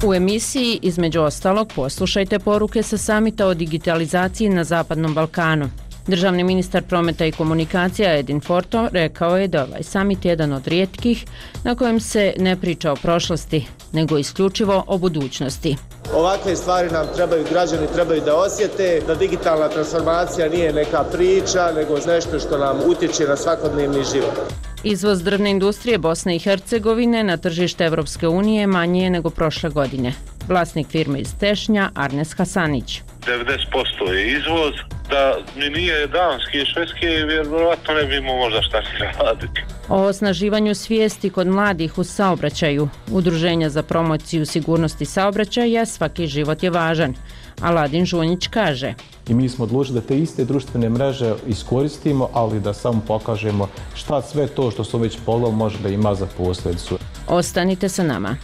U emisiji, između ostalog, poslušajte poruke sa samita o digitalizaciji na Zapadnom Balkanu. Državni ministar prometa i komunikacija Edin Forto rekao je da ovaj samit je jedan od rijetkih na kojem se ne priča o prošlosti, nego isključivo o budućnosti. Ovakve stvari nam trebaju, građani trebaju da osjete, da digitalna transformacija nije neka priča, nego nešto što nam utječe na svakodnevni život. Izvoz drvne industrije Bosne i Hercegovine na tržište Evropske unije manji je nego prošle godine. Vlasnik firme iz Tešnja, Arnes Hasanić. devedeset posto je izvoz, da mi nije Danske i Švedske, vjerovatno ne bi imao možda šta se raditi. O osnaživanju svijesti kod mladih u saobraćaju, Udruženja za promociju sigurnosti saobraćaja, svaki život je važan. Aladin Žunjić kaže. I mi smo odlučili da te iste društvene mreže iskoristimo, ali da samo pokažemo šta sve to što su već pogledali može da ima za posljedicu. Ostanite sa nama.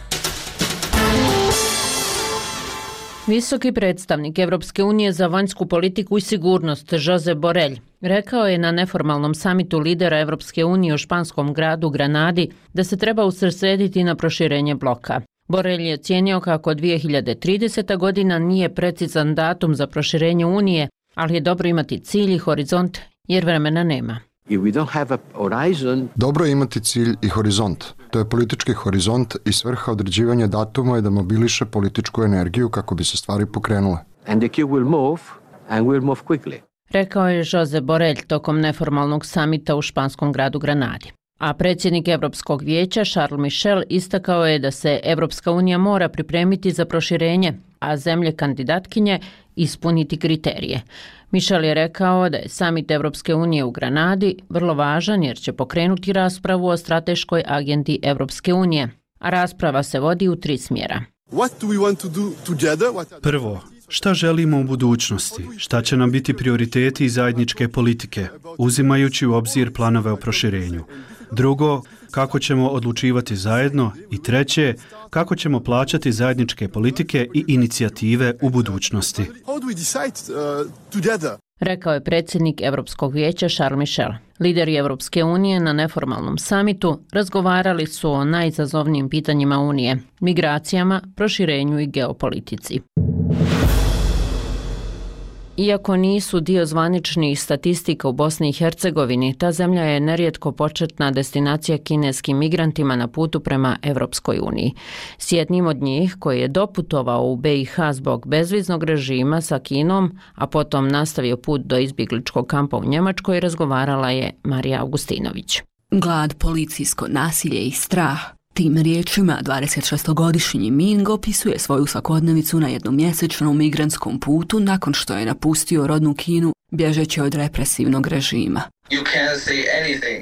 Visoki predstavnik Evropske unije za vanjsku politiku i sigurnost Josep Borrell rekao je na neformalnom samitu lidera Evropske unije u španskom gradu Granadi da se treba usredsrediti na proširenje bloka. Borrell je ocijenio kako dvije hiljade trideseta godina nije precizan datum za proširenje Unije, ali je dobro imati cilj i horizont jer vremena nema. Dobro je imati cilj i horizont. To je politički horizont i svrha određivanja datuma je da mobiliše političku energiju kako bi se stvari pokrenule. Rekao je Josep Borrell tokom neformalnog samita u španskom gradu Granadi. A predsjednik Europskog vijeća Charles Michel istakao je da se Evropska unija mora pripremiti za proširenje, a zemlje kandidatkinje ispuniti kriterije. Michel je rekao da je samit Evropske unije u Granadi vrlo važan jer će pokrenuti raspravu o strateškoj agendi Evropske unije, a rasprava se vodi u tri smjera. Prvo, šta želimo u budućnosti? Šta će nam biti prioriteti i zajedničke politike, uzimajući u obzir planove o proširenju? Drugo, kako ćemo odlučivati zajedno? I treće, kako ćemo plaćati zajedničke politike i inicijative u budućnosti? Rekao je predsjednik Europskog vijeća Charles Michel. Lideri Evropske unije na neformalnom samitu razgovarali su o najizazovnijim pitanjima Unije, migracijama, proširenju i geopolitici. Iako nisu dio zvaničnih statistika u Bosni i Hercegovini, ta zemlja je nerijetko početna destinacija kineskim migrantima na putu prema Evropskoj uniji. S jednim od njih, koji je doputovao u be i ha zbog bezviznog režima sa Kinom, a potom nastavio put do izbjegličkog kampa u Njemačkoj, razgovarala je Marija Augustinović. Glad, policijsko nasilje i strah. Tim riječima dvadesetšestogodišnji Ming opisuje svoju svakodnevicu na jednomjesečnom migrantskom putu nakon što je napustio rodnu Kinu bježeći od represivnog režima.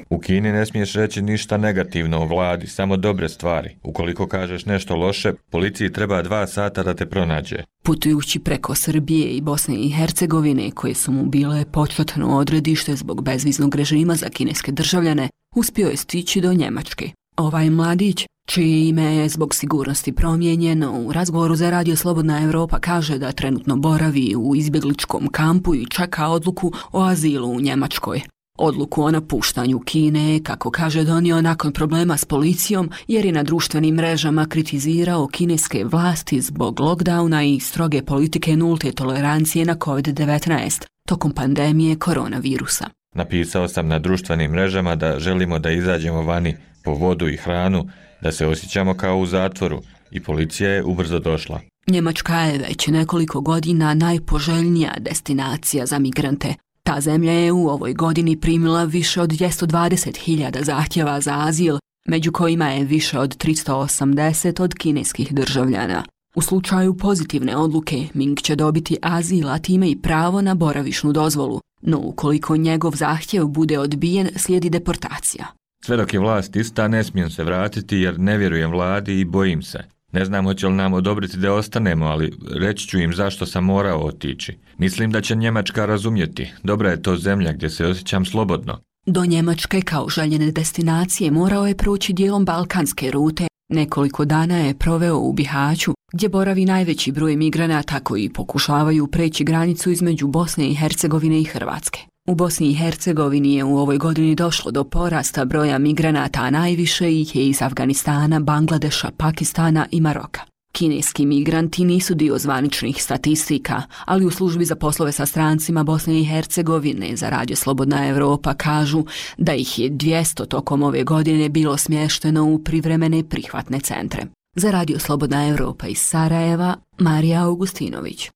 U Kini ne smiješ reći ništa negativno o vladi, samo dobre stvari. Ukoliko kažeš nešto loše, policiji treba dva sata da te pronađe. Putujući preko Srbije i Bosne i Hercegovine, koje su mu bile početno odredište zbog bezviznog režima za kineske državljane, uspio je stići do Njemačke. Ovaj mladić, čije ime je zbog sigurnosti promijenjeno, u razgovoru za Radio Slobodna Evropa kaže da trenutno boravi u izbjegličkom kampu i čeka odluku o azilu u Njemačkoj. Odluku o napuštanju Kine, kako kaže, donio nakon problema s policijom jer je na društvenim mrežama kritizirao kineske vlasti zbog lockdowna i stroge politike nulte tolerancije na kovid devetnaest tokom pandemije koronavirusa. Napisao sam na društvenim mrežama da želimo da izađemo vani po vodu i hranu, da se osjećamo kao u zatvoru i policija je ubrzo došla. Njemačka je već nekoliko godina najpoželjnija destinacija za migrante. Ta zemlja je u ovoj godini primila više od dvjesto dvadeset hiljada zahtjeva za azil, među kojima je više od tristo osamdeset od kineskih državljana. U slučaju pozitivne odluke, Ming će dobiti azil, a time i pravo na boravišnu dozvolu, no ukoliko njegov zahtjev bude odbijen, slijedi deportacija. Sve dok je vlast ista, ne smijem se vratiti jer ne vjerujem vladi i bojim se. Ne znam hoće li nam odobriti da ostanemo, ali reći ću im zašto sam morao otići. Mislim da će Njemačka razumjeti. Dobra je to zemlja gdje se osjećam slobodno. Do Njemačke kao željene destinacije morao je proći dijelom balkanske rute. Nekoliko dana je proveo u Bihaću, gdje boravi najveći broj migranata koji pokušavaju preći granicu između Bosne i Hercegovine i Hrvatske. U Bosni i Hercegovini je u ovoj godini došlo do porasta broja migranata, a najviše ih je iz Afganistana, Bangladeša, Pakistana i Maroka. Kineski migranti nisu dio zvaničnih statistika, ali u službi za poslove sa strancima Bosne i Hercegovine za Radio Slobodna Evropa kažu da ih je dvjesto tokom ove godine bilo smješteno u privremene prihvatne centre. Za Radio Slobodna Evropa iz Sarajeva, Marija Augustinović.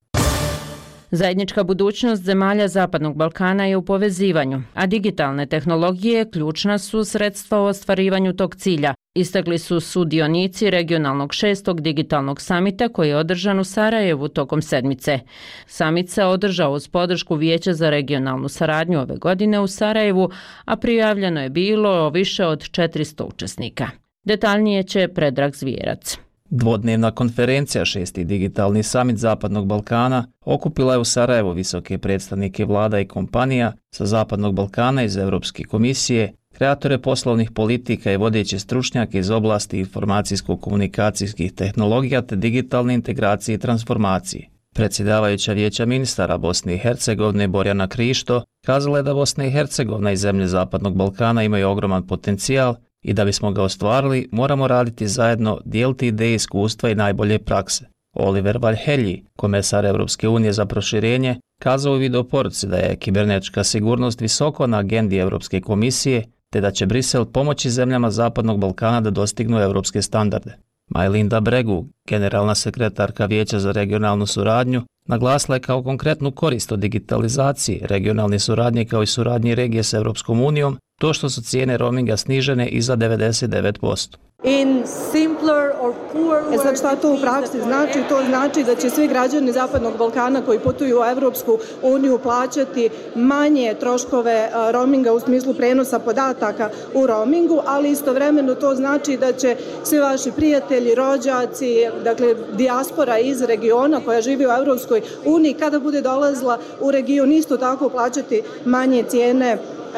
Zajednička budućnost zemalja Zapadnog Balkana je u povezivanju, a digitalne tehnologije ključna su sredstva u ostvarivanju tog cilja, istakli su sudionici regionalnog šestog digitalnog samita koji je održan u Sarajevu tokom sedmice. Samit se održao uz podršku Vijeća za regionalnu saradnju ove godine u Sarajevu, a prijavljeno je bilo više od četiristo učesnika. Detaljnije će Predrag Zvijerac. Dvodnevna konferencija šesti digitalni samit Zapadnog Balkana okupila je u Sarajevu visoke predstavnike vlada i kompanija sa Zapadnog Balkana iz Europske komisije, kreatore poslovnih politika i vodeće stručnjake iz oblasti informacijsko-komunikacijskih tehnologija te digitalne integracije i transformacije. Predsjedavajuća Vijeća ministara Bosne i Hercegovine Borjana Krišto kazala je da Bosna i Hercegovina i zemlje Zapadnog Balkana imaju ogroman potencijal i da bismo ga ostvarili, moramo raditi zajedno, dijeliti ideje, iskustva i najbolje prakse. Oliver Valhelji, komesar Europske unije za proširenje, kazao u videoporuci da je kibernetička sigurnost visoko na agendi Europske komisije, te da će Brisel pomoći zemljama Zapadnog Balkana da dostignu europske standarde. Majlinda Bregu, generalna sekretarka Vijeća za regionalnu suradnju, naglasila je kao konkretnu korist od digitalizacije, regionalne suradnje kao i suradnje regije s Europskom unijom, to što su cijene roaminga snižene i za devedeset devet posto. In simpler or poor words. E sad šta to u praksi znači? To znači da će svi građani Zapadnog Balkana koji putuju u Europsku uniju plaćati manje troškove roaminga u smislu prenosa podataka u roamingu, ali istovremeno to znači da će svi vaši prijatelji, rođaci, dakle dijaspora iz regiona koja živi u Europskoj uniji, kada bude dolazila u region isto tako plaćati manje cijene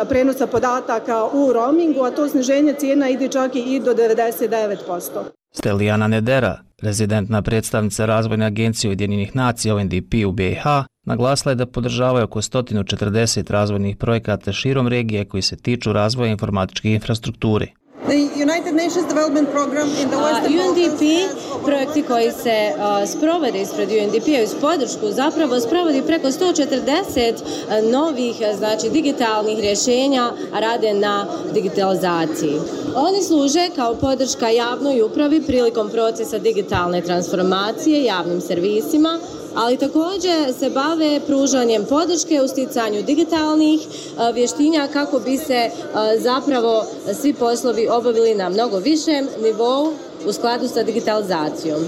prenosa podataka u roamingu, a to sniženje cijena ide čak i do devedeset devet posto. Stelijana Nedera, rezidentna predstavnica Razvojne agencije Ujedinjenih nacija U N D P u B i H, naglasila je da podržavaju oko sto četrdeset razvojnih projekata širom regije koji se tiču razvoja informatičke infrastrukture. The United Nations Development Program in the Western U N D P, projekti koji se uh, sprovode ispred U N D P-a uz podršku, zapravo sprovodi preko sto četrdeset uh, novih, znači digitalnih rješenja, a rade na digitalizaciji. Oni služe kao podrška javnoj upravi prilikom procesa digitalne transformacije, javnim servisima, ali također se bave pružanjem podrške u sticanju digitalnih uh, vještinja kako bi se uh, zapravo svi poslovi obavili na mnogo višem nivou u skladu sa digitalizacijom.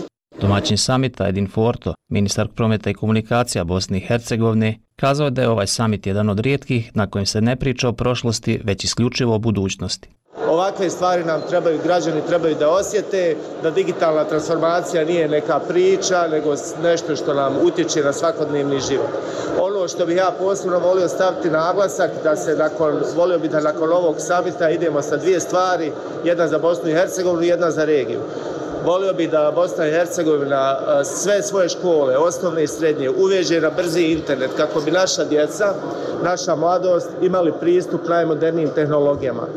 Domaćin samita Edin Forto, ministar prometa i komunikacija Bosne i Hercegovine, kazao je da je ovaj samit jedan od rijetkih na kojem se ne priča o prošlosti, već isključivo o budućnosti. Ovakve stvari nam trebaju, građani trebaju da osjete, da digitalna transformacija nije neka priča, nego nešto što nam utječe na svakodnevni život. Ono što bih ja posebno volio staviti naglasak, da se nakon, volio bih da nakon ovog samita idemo sa dvije stvari, jedna za Bosnu i Hercegovinu i jedna za regiju. Volio bih da Bosna i Hercegovina sve svoje škole, osnovne i srednje, uveže na brzi internet kako bi naša djeca, naša mladost imali pristup najmodernijim tehnologijama.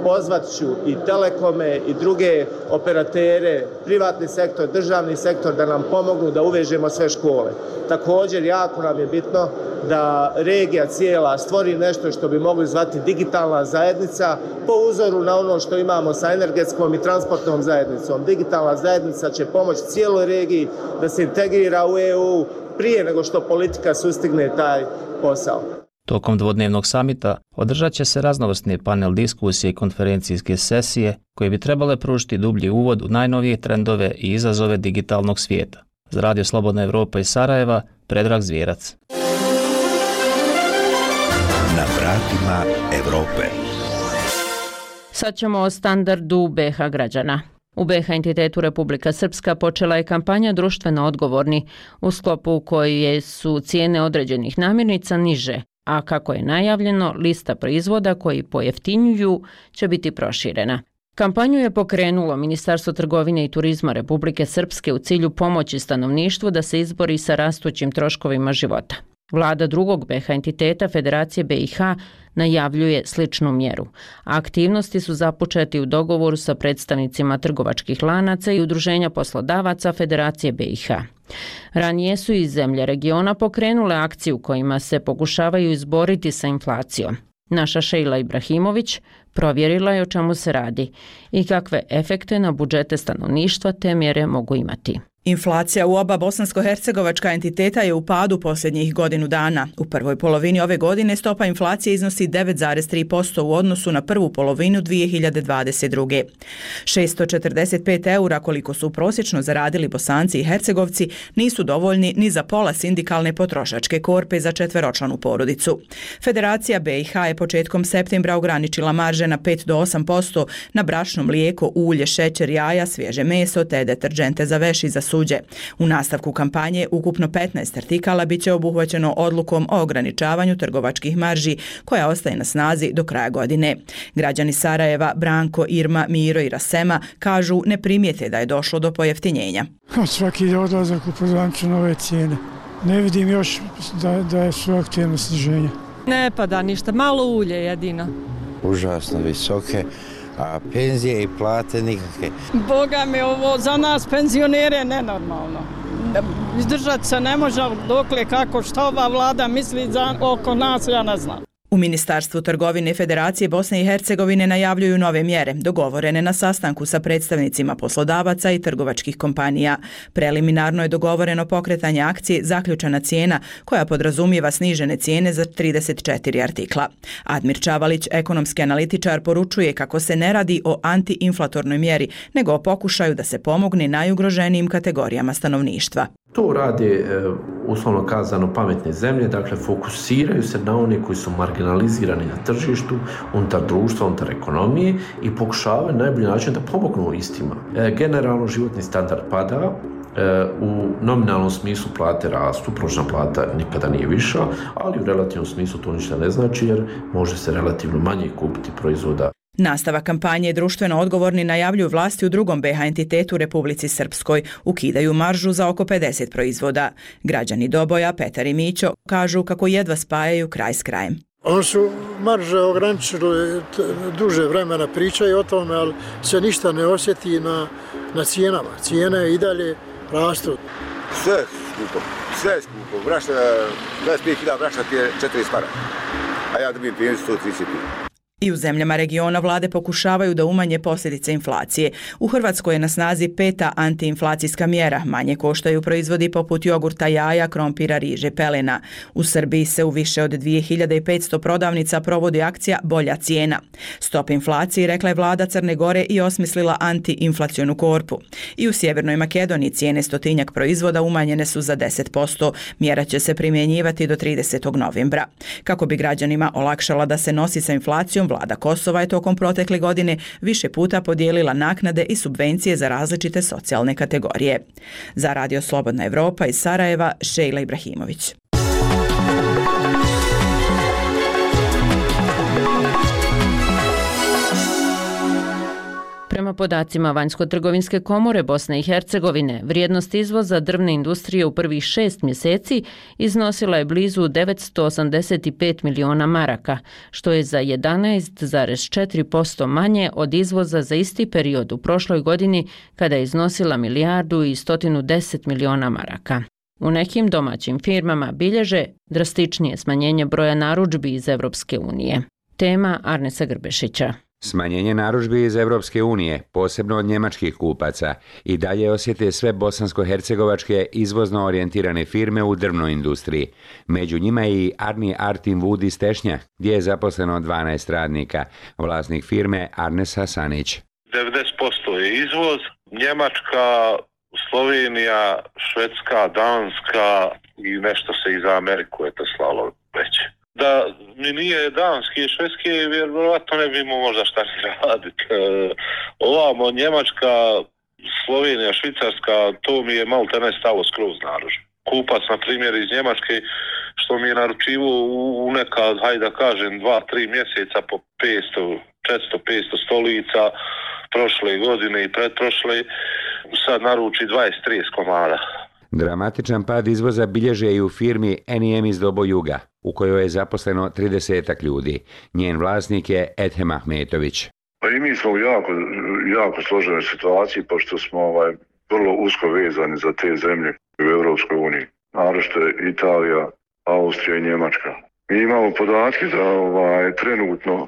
pozvat ću i telekome i druge operatere, privatni sektor, državni sektor da nam pomognu da uvežemo sve škole. Također, jako nam je bitno da regija cijela stvori nešto što bi mogli zvati digitalna zajednica po uzoru na ono što imamo sa energetskom i transportnom zajednicom. Digitalna zajednica će pomoći cijeloj regiji da se integrira u E U prije nego što politika sustigne taj posao. Tokom dvodnevnog samita održat će se raznovrsne panel diskusije i konferencijske sesije koje bi trebale pružiti dublji uvod u najnovije trendove i izazove digitalnog svijeta. Za Radio Slobodna Evropa iz Sarajeva, Predrag Zvjerac. Na vratima Evrope. Sad ćemo o standardu B H građana. U B H entitetu Republika Srpska počela je kampanja društveno odgovorni, u sklopu koje su cijene određenih namirnica niže, a kako je najavljeno, lista proizvoda koji pojeftinjuju će biti proširena. Kampanju je pokrenulo Ministarstvo trgovine i turizma Republike Srpske u cilju pomoći stanovništvu da se izbori sa rastućim troškovima života. Vlada drugog B H entiteta Federacije B i H najavljuje sličnu mjeru. Aktivnosti su započeti u dogovoru sa predstavnicima trgovačkih lanaca i udruženja poslodavaca Federacije B i H. Ranije su i zemlje regiona pokrenule akciju kojima se pokušavaju izboriti sa inflacijom. Naša Šejla Ibrahimović provjerila je o čemu se radi i kakve efekte na budžete stanovništva te mjere mogu imati. Inflacija u oba bosansko-hercegovačka entiteta je u padu posljednjih godinu dana. U prvoj polovini ove godine stopa inflacije iznosi devet zarez tri posto u odnosu na prvu polovinu dvije hiljade dvadeset druge. šesto četrdeset pet eura koliko su prosječno zaradili Bosanci i Hercegovci nisu dovoljni ni za pola sindikalne potrošačke korpe za četveročlanu porodicu. Federacija B i H je početkom septembra ograničila marže na pet do osam posto na brašno, mlijeko, ulje, šećer, jaja, svježe meso te deterdžente za veš i za suđe. U nastavku kampanje ukupno petnaest artikala biće obuhvaćeno odlukom o ograničavanju trgovačkih marži koja ostaje na snazi do kraja godine. Građani Sarajeva, Branko, Irma, Miro i Rasema kažu ne primijete da je došlo do pojeftinjenja. Svaki odlazak u pozvanču nove cijene. Ne vidim još da, da su aktivno sniženje. Ne pada ništa, malo ulje jedino. Užasno visoke, a penzije i plate nikakve. Boga mi, ovo za nas penzionere nenormalno. Izdržati se ne može, dokle kako što ova vlada misli za, oko nas, ja ne znam. U Ministarstvu trgovine Federacije Bosne i Hercegovine najavljuju nove mjere, dogovorene na sastanku sa predstavnicima poslodavaca i trgovačkih kompanija. Preliminarno je dogovoreno pokretanje akcije Zaključana cijena, koja podrazumijeva snižene cijene za trideset četiri artikla. Admir Čavalić, ekonomski analitičar, poručuje kako se ne radi o antiinflatornoj mjeri, nego o pokušaju da se pomogne najugroženijim kategorijama stanovništva. To rade, uslovno kazano, pametne zemlje, dakle fokusiraju se na one koji su marginalizirani na tržištu, unutar društva, unutar ekonomije i pokušavaju na najbolji način da pomognu istima. Generalno životni standard pada, u nominalnom smislu plate rastu, prosječna plata nikada nije viša, ali u relativnom smislu to ništa ne znači jer može se relativno manje kupiti proizvoda. Nastavak kampanje društveno odgovorni najavljuju vlasti u drugom B H entitetu Republici Srpskoj. Ukidaju maržu za oko pedeset proizvoda. Građani Doboja, Petar i Mićo, kažu kako jedva spajaju kraj s krajem. Oni su marže ograničili duže vremena, pričaju o tome, ali se ništa ne osjeti na, na cijenama. Cijene i dalje rastu. Sve skupo, sve skupo. Brašna, dvadeset pet hiljada brašna ti je četrdeset para, a ja dobijem penziju sto trideset. I u zemljama regiona vlade pokušavaju da umanje posljedice inflacije. U Hrvatskoj je na snazi peta antiinflacijska mjera. Manje koštaju proizvodi poput jogurta, jaja, krompira, riže, pelena. U Srbiji se u više od dvije hiljade petsto prodavnica provodi akcija Bolja cijena. Stop inflaciji, rekla je vlada Crne Gore i osmislila antiinflacionu korpu. I u Sjevernoj Makedoniji cijene stotinjak proizvoda umanjene su za deset posto. Mjera će se primjenjivati do tridesetog novembra. Kako bi građanima olakšala da se nosi sa inflacijom, vlada Kosova je tokom protekle godine više puta podijelila naknade i subvencije za različite socijalne kategorije. Za Radio Slobodna Evropa iz Sarajeva, Šejla Ibrahimović. Prema podacima Vanjsko-trgovinske komore Bosne i Hercegovine, vrijednost izvoza drvne industrije u prvih šest mjeseci iznosila je blizu devetsto osamdeset pet miliona maraka, što je za jedanaest zarez četiri posto manje od izvoza za isti period u prošloj godini kada je iznosila milijardu i stotinu deset miliona maraka. U nekim domaćim firmama bilježe drastičnije smanjenje broja narudžbi iz Evropske unije. Tema Arnesa Grbešića. Smanjenje narudžbi iz Evropske unije, posebno od njemačkih kupaca, i dalje osjete sve bosansko-hercegovačke izvozno orijentirane firme u drvnoj industriji. Među njima je i Arni Artin Wood iz Tešnja, gdje je zaposleno dvanaest radnika, vlasnik firme Arnes Hasanić. devedeset posto je izvoz, Njemačka, Slovenija, Švedska, Danska i nešto se i za Ameriku je to slalo već. Da mi nije danski i švedski, vjerovatno ne bi imao možda šta ni raditi. E, ovamo Njemačka, Slovenija, Švicarska, to mi je malo te ne stalo skroz narudžbi. Kupac, na primjer, iz Njemačke, što mi je naručivo u, u neka, hajde da kažem, dva, tri mjeseca po petsto, četiristo, petsto stolica, prošle godine i pretprošle, sad naruči dvadeset trideset komada. Dramatičan pad izvoza bilježe i u firmi N I M iz Dobo Juga, u kojoj je zaposleno tridesetak ljudi. Njen vlasnik je Edhem Ahmetović. Pa i mi smo u jako, jako složenoj situaciji, pošto smo ovaj, vrlo usko vezani za te zemlje u Evropskoj uniji. Naročito je Italija, Austrija i Njemačka. Mi imamo podatke da ovaj, trenutno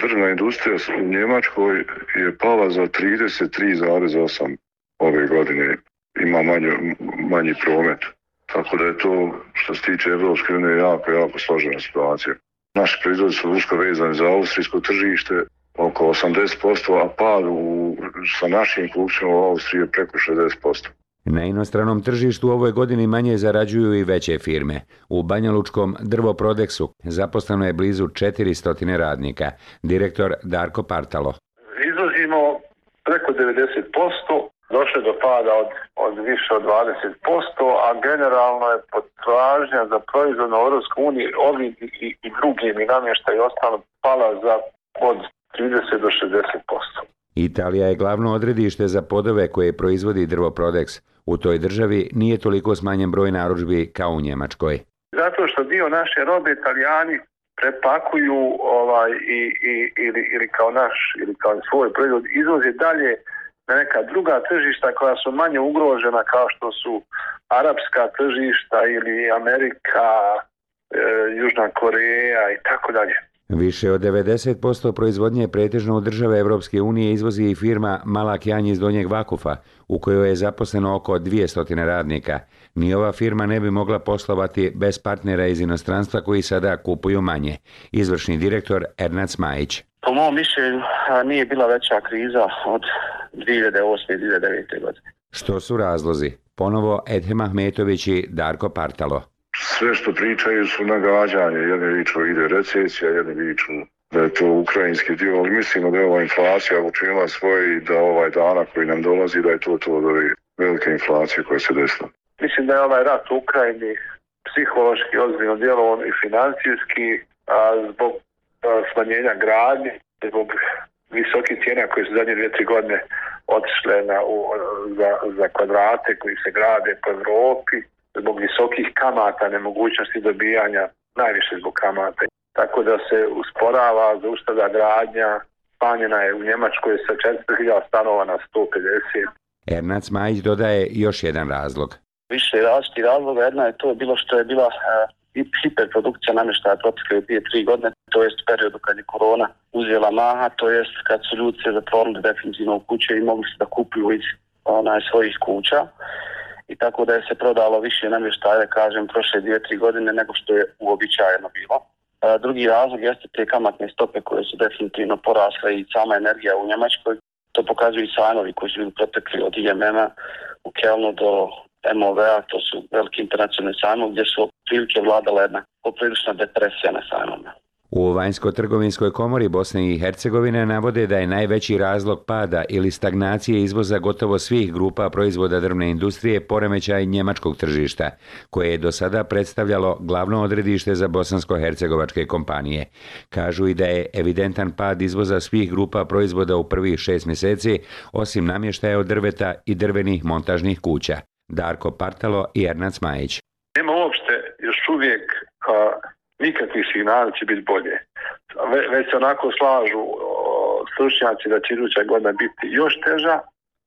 drvna industrija u Njemačkoj je pala za trideset tri zarez osam ove godine. Ima manje, manji promet. Tako da je to, što se tiče Evropske unije, jako, jako složena situacija. Naši proizvodi su usko vezani za austrijsko tržište, oko osamdeset posto, a pad u, sa našim kupcima u Austriji je preko šezdeset posto. Na inostranom tržištu u ovoj godini manje zarađuju i veće firme. U banjalučkom Drvoprodeksu zaposleno je blizu četiristo radnika. Direktor Darko Partalo. Izvozimo preko devedeset posto, došlo do pada od, od više od dvadeset posto, a generalno je potražnja za proizvod na Europskoj uniji, ovi i, i drugi mi namještaj i ostalo pala za od trideset do šezdeset posto. Italija je glavno odredište za podove koje proizvodi Drvoprodeks. U toj državi nije toliko smanjen broj narudžbi kao u Njemačkoj. Zato što dio naše robe Italijani prepakuju ovaj, i, i, ili, ili kao naš ili kao svoj proizvod izvoze dalje na neka druga tržišta koja su manje ugrožena, kao što su arapska tržišta ili Amerika, e, Južna Koreja i tako dalje. Više od devedeset posto proizvodnje pretežno u države Evropske unije izvozi i firma Malak Janj iz Donjeg Vakufa, u kojoj je zaposleno oko dvjesto radnika. Ni ova firma ne bi mogla poslovati bez partnera iz inostranstva koji sada kupuju manje. Izvršni direktor Ernad Majić. Po mom mišljenju nije bila veća kriza od dvije hiljade osme i dvije hiljade devete. godine. Što su razlozi? Ponovo Edhem Ahmetović i Darko Partalo. Sve što pričaju su nagađanje, jedni viču ide recesija, jedni viču da je to ukrajinski dio, ali mislimo da je ova inflacija učinila svoje i da ovaj dana koji nam dolazi da je to to od ove velike inflacije koje se desila. Mislim da je ovaj rat u Ukrajini psihološki ozbiljno djelovan i financijski, a zbog a, smanjenja gradnje, zbog visokih cijena koje su zadnje dvije, tri godine otišle na, u, za, za kvadrate koji se grade po Evropi, zbog visokih kamata, nemogućnosti dobijanja, najviše zbog kamata. Tako da se usporava, zaustavlja gradnja, smanjena je u Njemačkoj sa četiristo hiljada stanova na sto pedeset. Ernad Majić dodaje još jedan razlog. Više različitih razloga, jedna je to bilo što je bila uh, hiperprodukcija namještaja protekle dvije, tri godine, to jest u periodu kad je korona uzela maha, to jest kad su ljudi se zatvorili definitivno u kuće i mogli se da kupuju iz onaj, svojih kuća. I tako da je se prodalo više namještaja, kažem, prošle dvije, tri godine nego što je uobičajeno bilo. A, drugi razlog jeste te kamatne stope koje su definitivno porasle i sama energija u Njemačkoj. To pokazuju i sajmovi koji su bili protekli od I M M-a u Kelnu do M O V-a, to su veliki internacionalni sajmovi gdje su prilike vladala jedna poprilična depresija na sajmovima. U Vanjsko-trgovinskoj komori Bosne i Hercegovine navode da je najveći razlog pada ili stagnacije izvoza gotovo svih grupa proizvoda drvne industrije poremećaj njemačkog tržišta, koje je do sada predstavljalo glavno odredište za bosansko-hercegovačke kompanije. Kažu i da je evidentan pad izvoza svih grupa proizvoda u prvih šest mjeseci, osim namještaja od drveta i drvenih montažnih kuća. Darko Partalo i Ernad Smajić. Nema uopšte još uvijek a, nikakvih signala će biti bolje. Ve, već se onako slažu o, stručnjaci da će iduća godina biti još teža,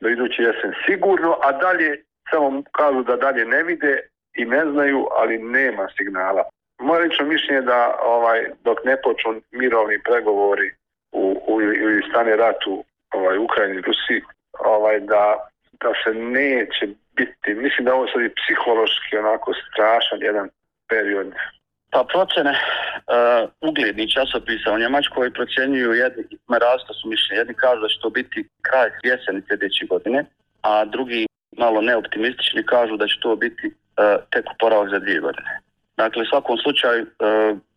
do iduće jesen sigurno, a dalje samo kažu da dalje ne vide i ne znaju, ali nema signala. Moje lično mišljenje je da ovaj, dok ne počnu mirovni pregovori u, u, ili stane rat u ovaj, Ukrajini i Rusiji, ovaj, da, da se neće biti, mislim da ovo sad je psihološki onako strašan jedan period. Pa procene uh, uglednih časopisa u Njemačkoj procjenjuju, jedni rastu su mišljenje, jedni kažu da će to biti kraj jeseni sljedeće godine, a drugi malo neoptimistični kažu da će to biti uh, tek oporavak za dvije godine. Dakle, u svakom slučaju uh,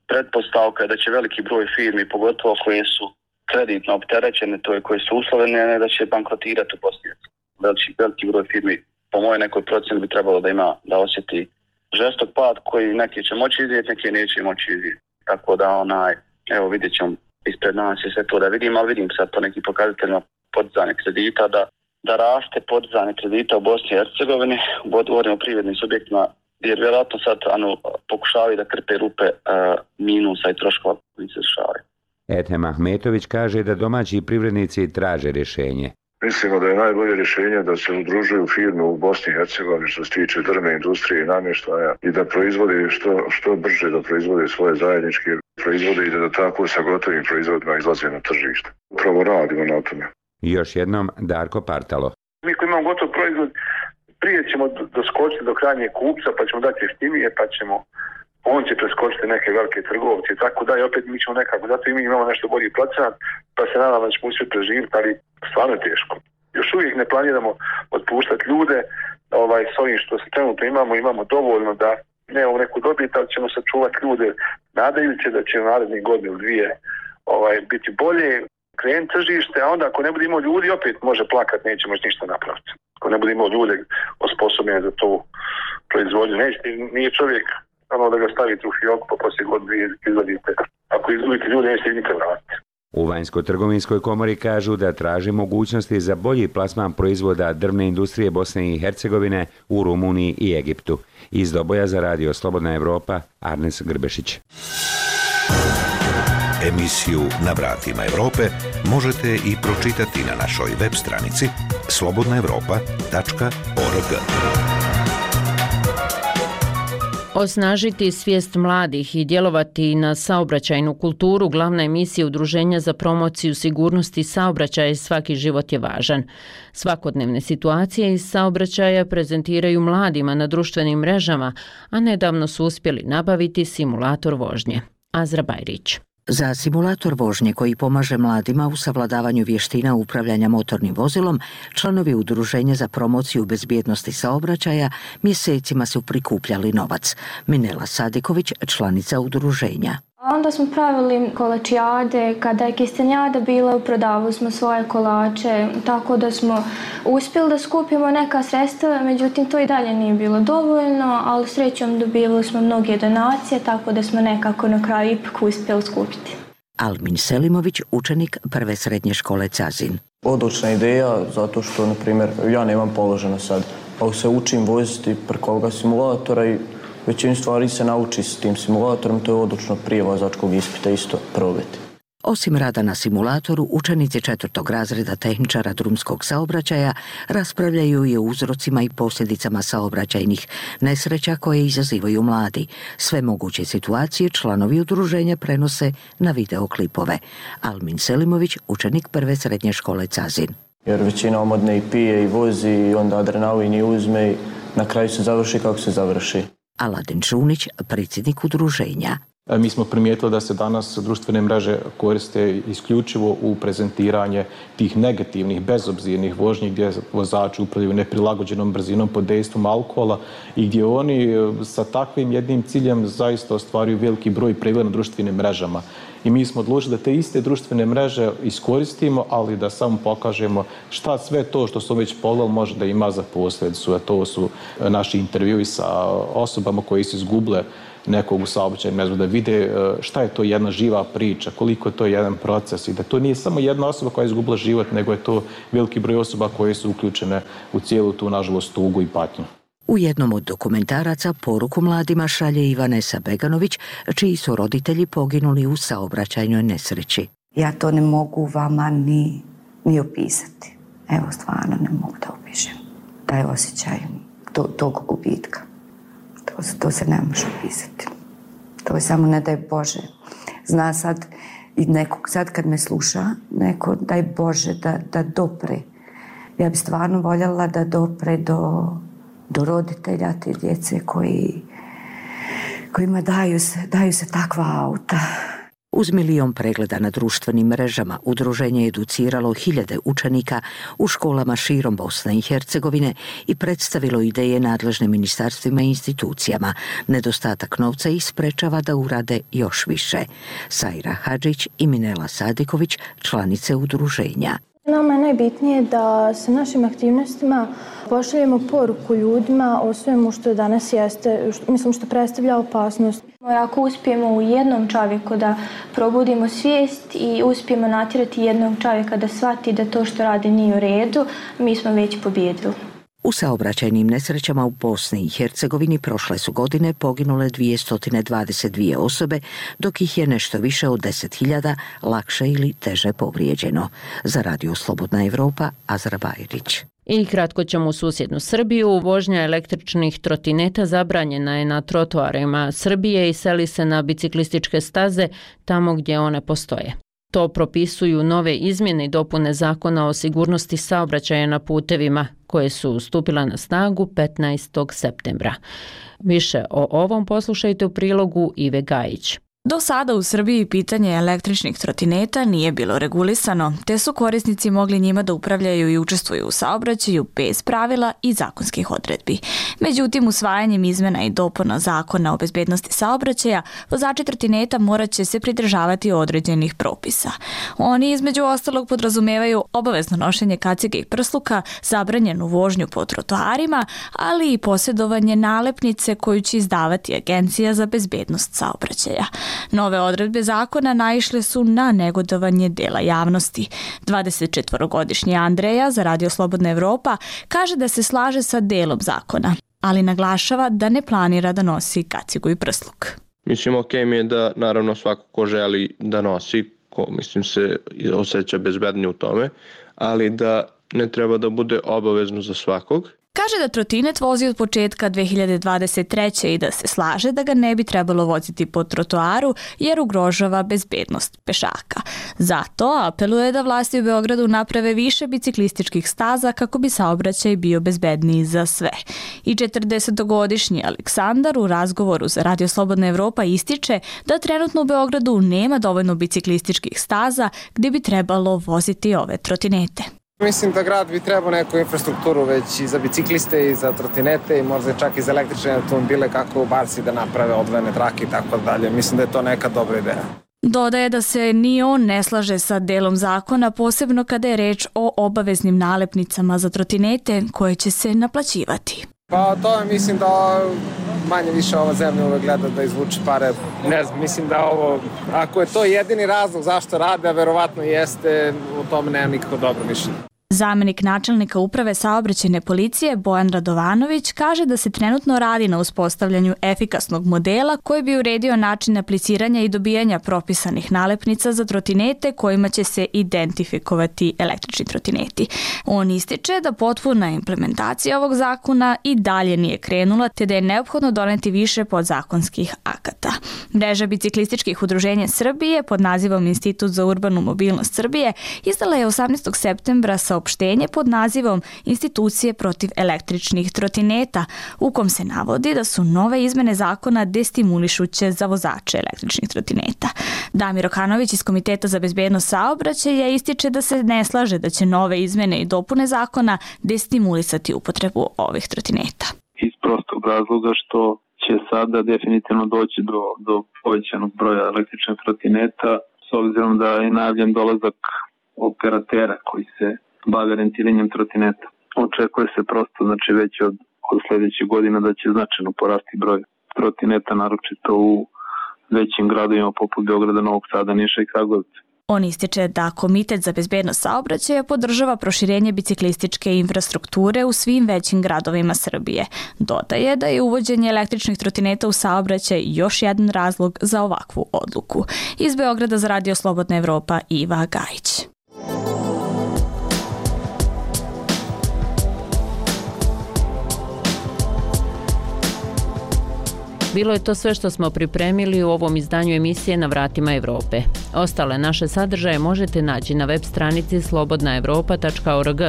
pretpostavka je da će veliki broj firmi, pogotovo koje su kreditno opterećene, to je koje su uslovljene, da će bankrotirati u Bosni. Veliki, veliki broj firmi, po mojoj nekoj procjeni, bi trebalo da ima, da osjeti žestok pad koji neki će moći izvijeti, neki neće moći izvijeti. Tako da onaj, evo vidjet ćemo ispred nas i sve to da vidim, ali vidim sad po nekim pokazateljima podizanje kredita, da, da raste podizanje kredita u Bosni i Hercegovini, govorimo o privrednim subjektima, jer vjerojatno sad ano, pokušavaju da krpe rupe uh, minusa i troškova koji se dešavaju. Ethem Ahmetović kaže da domaći privrednici traže rješenje. Mislimo da je najbolje rješenje da se udružuju firme u Bosni i Hercegovini što se tiče drvne industrije i namještaja i da proizvode što, što brže da proizvode svoje zajedničke proizvode i da, da tako sa gotovim proizvodima izlaze na tržište. Upravo radimo na tome. Još jednom Darko Partalo. Mi koji imamo gotov proizvod, prije ćemo doskočiti do krajnjeg kupca, pa ćemo dati jeftinije, pa ćemo on će preskočiti neke velike trgovce i tako da i opet mi ćemo nekako, zato i mi imamo nešto bolji procenat, pa se nadam da ćemo uspjeti preživjeti, ali stvarno je teško. Još uvijek ne planiramo otpuštati ljude, ovaj, s ovim što se trenutno imamo, imamo dovoljno da nemamo neku dobit, ali ćemo sačuvati ljude nadajući da će u narednih godinu ili dvije ovaj, biti bolje, krenuti tržište, a onda ako ne bude imao ljudi, opet može plakati, neće moći ništa napraviti. Ako ne bude imao ljude osposobljene za tu proizvodnju, neće, nije čovjek ono da ga stavite u fioku pa poslije god dvije izvadite. Ako izgubite ljude, nećete nikad vratiti. U Vanjsko-trgovinskoj komori kažu da traži mogućnosti za bolji plasman proizvoda drvne industrije Bosne i Hercegovine u Rumuniji i Egiptu. Iz Doboja za radio Slobodna Evropa, Arnes Grbešić. Emisiju Na vratima Evrope možete i pročitati na našoj web stranici slobodna evropa tačka org. Osnažiti svijest mladih i djelovati na saobraćajnu kulturu glavna emisija Udruženja za promociju sigurnosti saobraćaja i Svaki život je važan. Svakodnevne situacije iz saobraćaja prezentiraju mladima na društvenim mrežama, a nedavno su uspjeli nabaviti simulator vožnje. Azra Bajrić. Za simulator vožnje koji pomaže mladima u savladavanju vještina upravljanja motornim vozilom, članovi Udruženja za promociju bezbjednosti saobraćaja mjesecima su prikupljali novac. Minela Sadiković, članica udruženja. Onda smo pravili kolačijade, kada je kistenjada bila, prodavali smo svoje kolače, tako da smo uspjeli da skupimo neka sredstva, međutim to i dalje nije bilo dovoljno, ali srećom dobivali smo mnoge donacije, tako da smo nekako na kraju ipak uspjeli skupiti. Almin Selimović, učenik prve srednje škole Cazin. Odlična ideja, zato što, na primjer, ja nemam položeno sad, ali se učim voziti preko ovoga simulatora i većinu stvari se nauči s tim simulatorom, to je odlično prije vozačkog ispita isto probati. Osim rada na simulatoru, učenici četvrtog razreda tehničara drumskog saobraćaja raspravljaju i o uzrocima i posljedicama saobraćajnih nesreća koje izazivaju mladi. Sve moguće situacije članovi udruženja prenose na videoklipove. Almin Selimović, učenik prve srednje škole Cazin. Jer većina omodne i pije i vozi i onda adrenalin i uzme i na kraju se završi kako se završi. Aladin Čunić, predsjednik udruženja. Mi smo primijetili da se danas društvene mreže koriste isključivo u prezentiranje tih negativnih, bezobzirnih vožnji gdje vozači upravljaju neprilagođenom brzinom pod dejstvom alkohola i gdje oni sa takvim jednim ciljem zaista ostvaruju veliki broj pregleda na društvenim mrežama. I mi smo odlučili da te iste društvene mreže iskoristimo, ali da samo pokažemo šta sve to što smo već pogledali može da ima za posljedicu. A to su naši intervjui sa osobama koji su izgubile nekog u saobraćaju, ne znam, da vide šta je to jedna živa priča, koliko je to jedan proces i da to nije samo jedna osoba koja je izgubila život, nego je to veliki broj osoba koje su uključene u cijelu tu, nažalost, tugu i patnju. U jednom od dokumentaraca poruku mladima šalje i Vanesa Beganović, čiji su roditelji poginuli u saobraćajnoj nesreći. Ja to ne mogu vama ni, ni opisati. Evo, stvarno ne mogu da opišem. Taj osjećaj to, tog gubitka. To, to se ne može opisati. To je samo ne daj Bože. Zna sad i nekog, sad kad me sluša, neko daj Bože da, da dopre. Ja bi stvarno voljela da dopre do, do roditelja te djece koji, kojima daju se, daju se takva auta. Uz milion pregleda na društvenim mrežama, udruženje je educiralo hiljade učenika u školama širom Bosne i Hercegovine i predstavilo ideje nadležnim ministarstvima i institucijama. Nedostatak novca ih sprečava da urade još više. Sajra Hadžić i Minela Sadiković, članice udruženja. Nama je najbitnije da sa našim aktivnostima pošaljemo poruku ljudima o svemu što danas jeste, što, mislim što predstavlja opasnost. Ako uspijemo u jednom čovjeku da probudimo svijest i uspijemo natjerati jednog čovjeka da shvati da to što radi nije u redu, mi smo već pobijedili. U saobraćajnim nesrećama u Bosni i Hercegovini prošle su godine poginule dvjesto dvadeset dvije osobe, dok ih je nešto više od deset hiljada lakše ili teže povrijeđeno. Za Radio Slobodna Evropa, Azra Bajrić. I kratko ćemo u susjednu Srbiju. Vožnja električnih trotineta zabranjena je na trotoarima Srbije i seli se na biciklističke staze tamo gdje one postoje. To propisuju nove izmjene i dopune Zakona o sigurnosti saobraćaja na putevima, koje su stupila na snagu petnaestog septembra. Više o ovom poslušajte u prilogu Ive Gajić. Do sada u Srbiji pitanje električnih trotineta nije bilo regulisano, te su korisnici mogli njima da upravljaju i učestvuju u saobraćaju bez pravila i zakonskih odredbi. Međutim, usvajanjem izmjena i dopuna Zakona o bezbednosti saobraćaja, vozači trotineta morat će se pridržavati određenih propisa. Oni između ostalog podrazumevaju obavezno nošenje kacige i prsluka, zabranjenu vožnju po trotoarima, ali i posjedovanje nalepnice koju će izdavati Agencija za bezbednost saobraćaja. Nove odredbe zakona naišle su na negodovanje dela javnosti. dvadesetčetvorogodišnji Andreja za Radio Slobodna Evropa kaže da se slaže sa delom zakona, ali naglašava da ne planira da nosi kacigu i prsluk. Mislim, ok mi je da naravno svako ko želi da nosi, ko mislim se osjeća bezbednije u tome, ali da ne treba da bude obavezno za svakog. Kaže da trotinet vozi od početka dve hiljade dvadeset treće i da se slaže da ga ne bi trebalo voziti po trotoaru jer ugrožava bezbednost pešaka. Zato apeluje da vlasti u Beogradu naprave više biciklističkih staza kako bi saobraćaj bio bezbedniji za sve. I četrdesetogodišnji Aleksandar u razgovoru za Radio Slobodna Evropa ističe da trenutno u Beogradu nema dovoljno biciklističkih staza gdje bi trebalo voziti ove trotinete. Mislim da grad bi trebao neku infrastrukturu već i za bicikliste i za trotinete i možda čak i za električne automobile kako u Barsi da naprave odvojene trake i tako dalje. Mislim da je to neka dobra ideja. Dodaje da se ni on ne slaže sa delom zakona, posebno kada je reč o obaveznim nalepnicama za trotinete koje će se naplaćivati. Pa to je, mislim da manje više ova zemlja uvek gleda da izvuče pare. Ne znam, mislim da ovo, ako je to jedini razlog zašto rade, a verovatno jeste, u tome nema nikako dobro mišljenje. Zamenik načelnika uprave saobraćajne policije Bojan Radovanović kaže da se trenutno radi na uspostavljanju efikasnog modela koji bi uredio način apliciranja i dobijanja propisanih nalepnica za trotinete kojima će se identifikovati električni trotineti. On ističe da potpuna implementacija ovog zakona i dalje nije krenula, te da je neophodno doneti više podzakonskih akata. Mreža biciklističkih udruženja Srbije pod nazivom Institut za urbanu mobilnost Srbije izdala je osamnaestog septembra sa saopštenje pod nazivom Institucije protiv električnih trotineta, u kom se navodi da su nove izmene zakona destimulišuće za vozače električnih trotineta. Damir Okanović iz Komiteta za bezbednost saobraćaja ističe da se ne slaže da će nove izmene i dopune zakona destimulisati upotrebu ovih trotineta. Iz prostog razloga što će sada definitivno doći do, do povećanog broja električnih trotineta s obzirom da je najavljen dolazak operatera koji se bave rentiranjem trotineta. Očekuje se prosto, znači već od, od sljedećeg godina da će značajno porasti broj trotineta, naročito u većim gradovima poput Beograda, Novog Sada, Niša i Kragujevca. On ističe da Komitet za bezbednost saobraćaja podržava proširenje biciklističke infrastrukture u svim većim gradovima Srbije. Dodaje da je uvođenje električnih trotineta u saobraćaj još jedan razlog za ovakvu odluku. Iz Beograda za Radio Slobodna Evropa, Iva Gajić. Bilo je to sve što smo pripremili u ovom izdanju emisije Na vratima Evrope. Ostale naše sadržaje možete naći na web stranici slobodna evropa tačka org.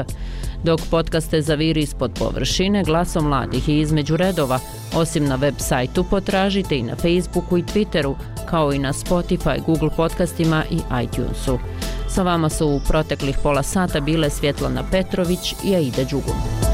Dok podcaste zaviri ispod površine, glasom mladih i između redova, osim na web sajtu potražite i na Facebooku i Twitteru, kao i na Spotify, Google podcastima i iTunesu. Sa vama su u proteklih pola sata bile Svjetlana Petrović i Aida Đugum.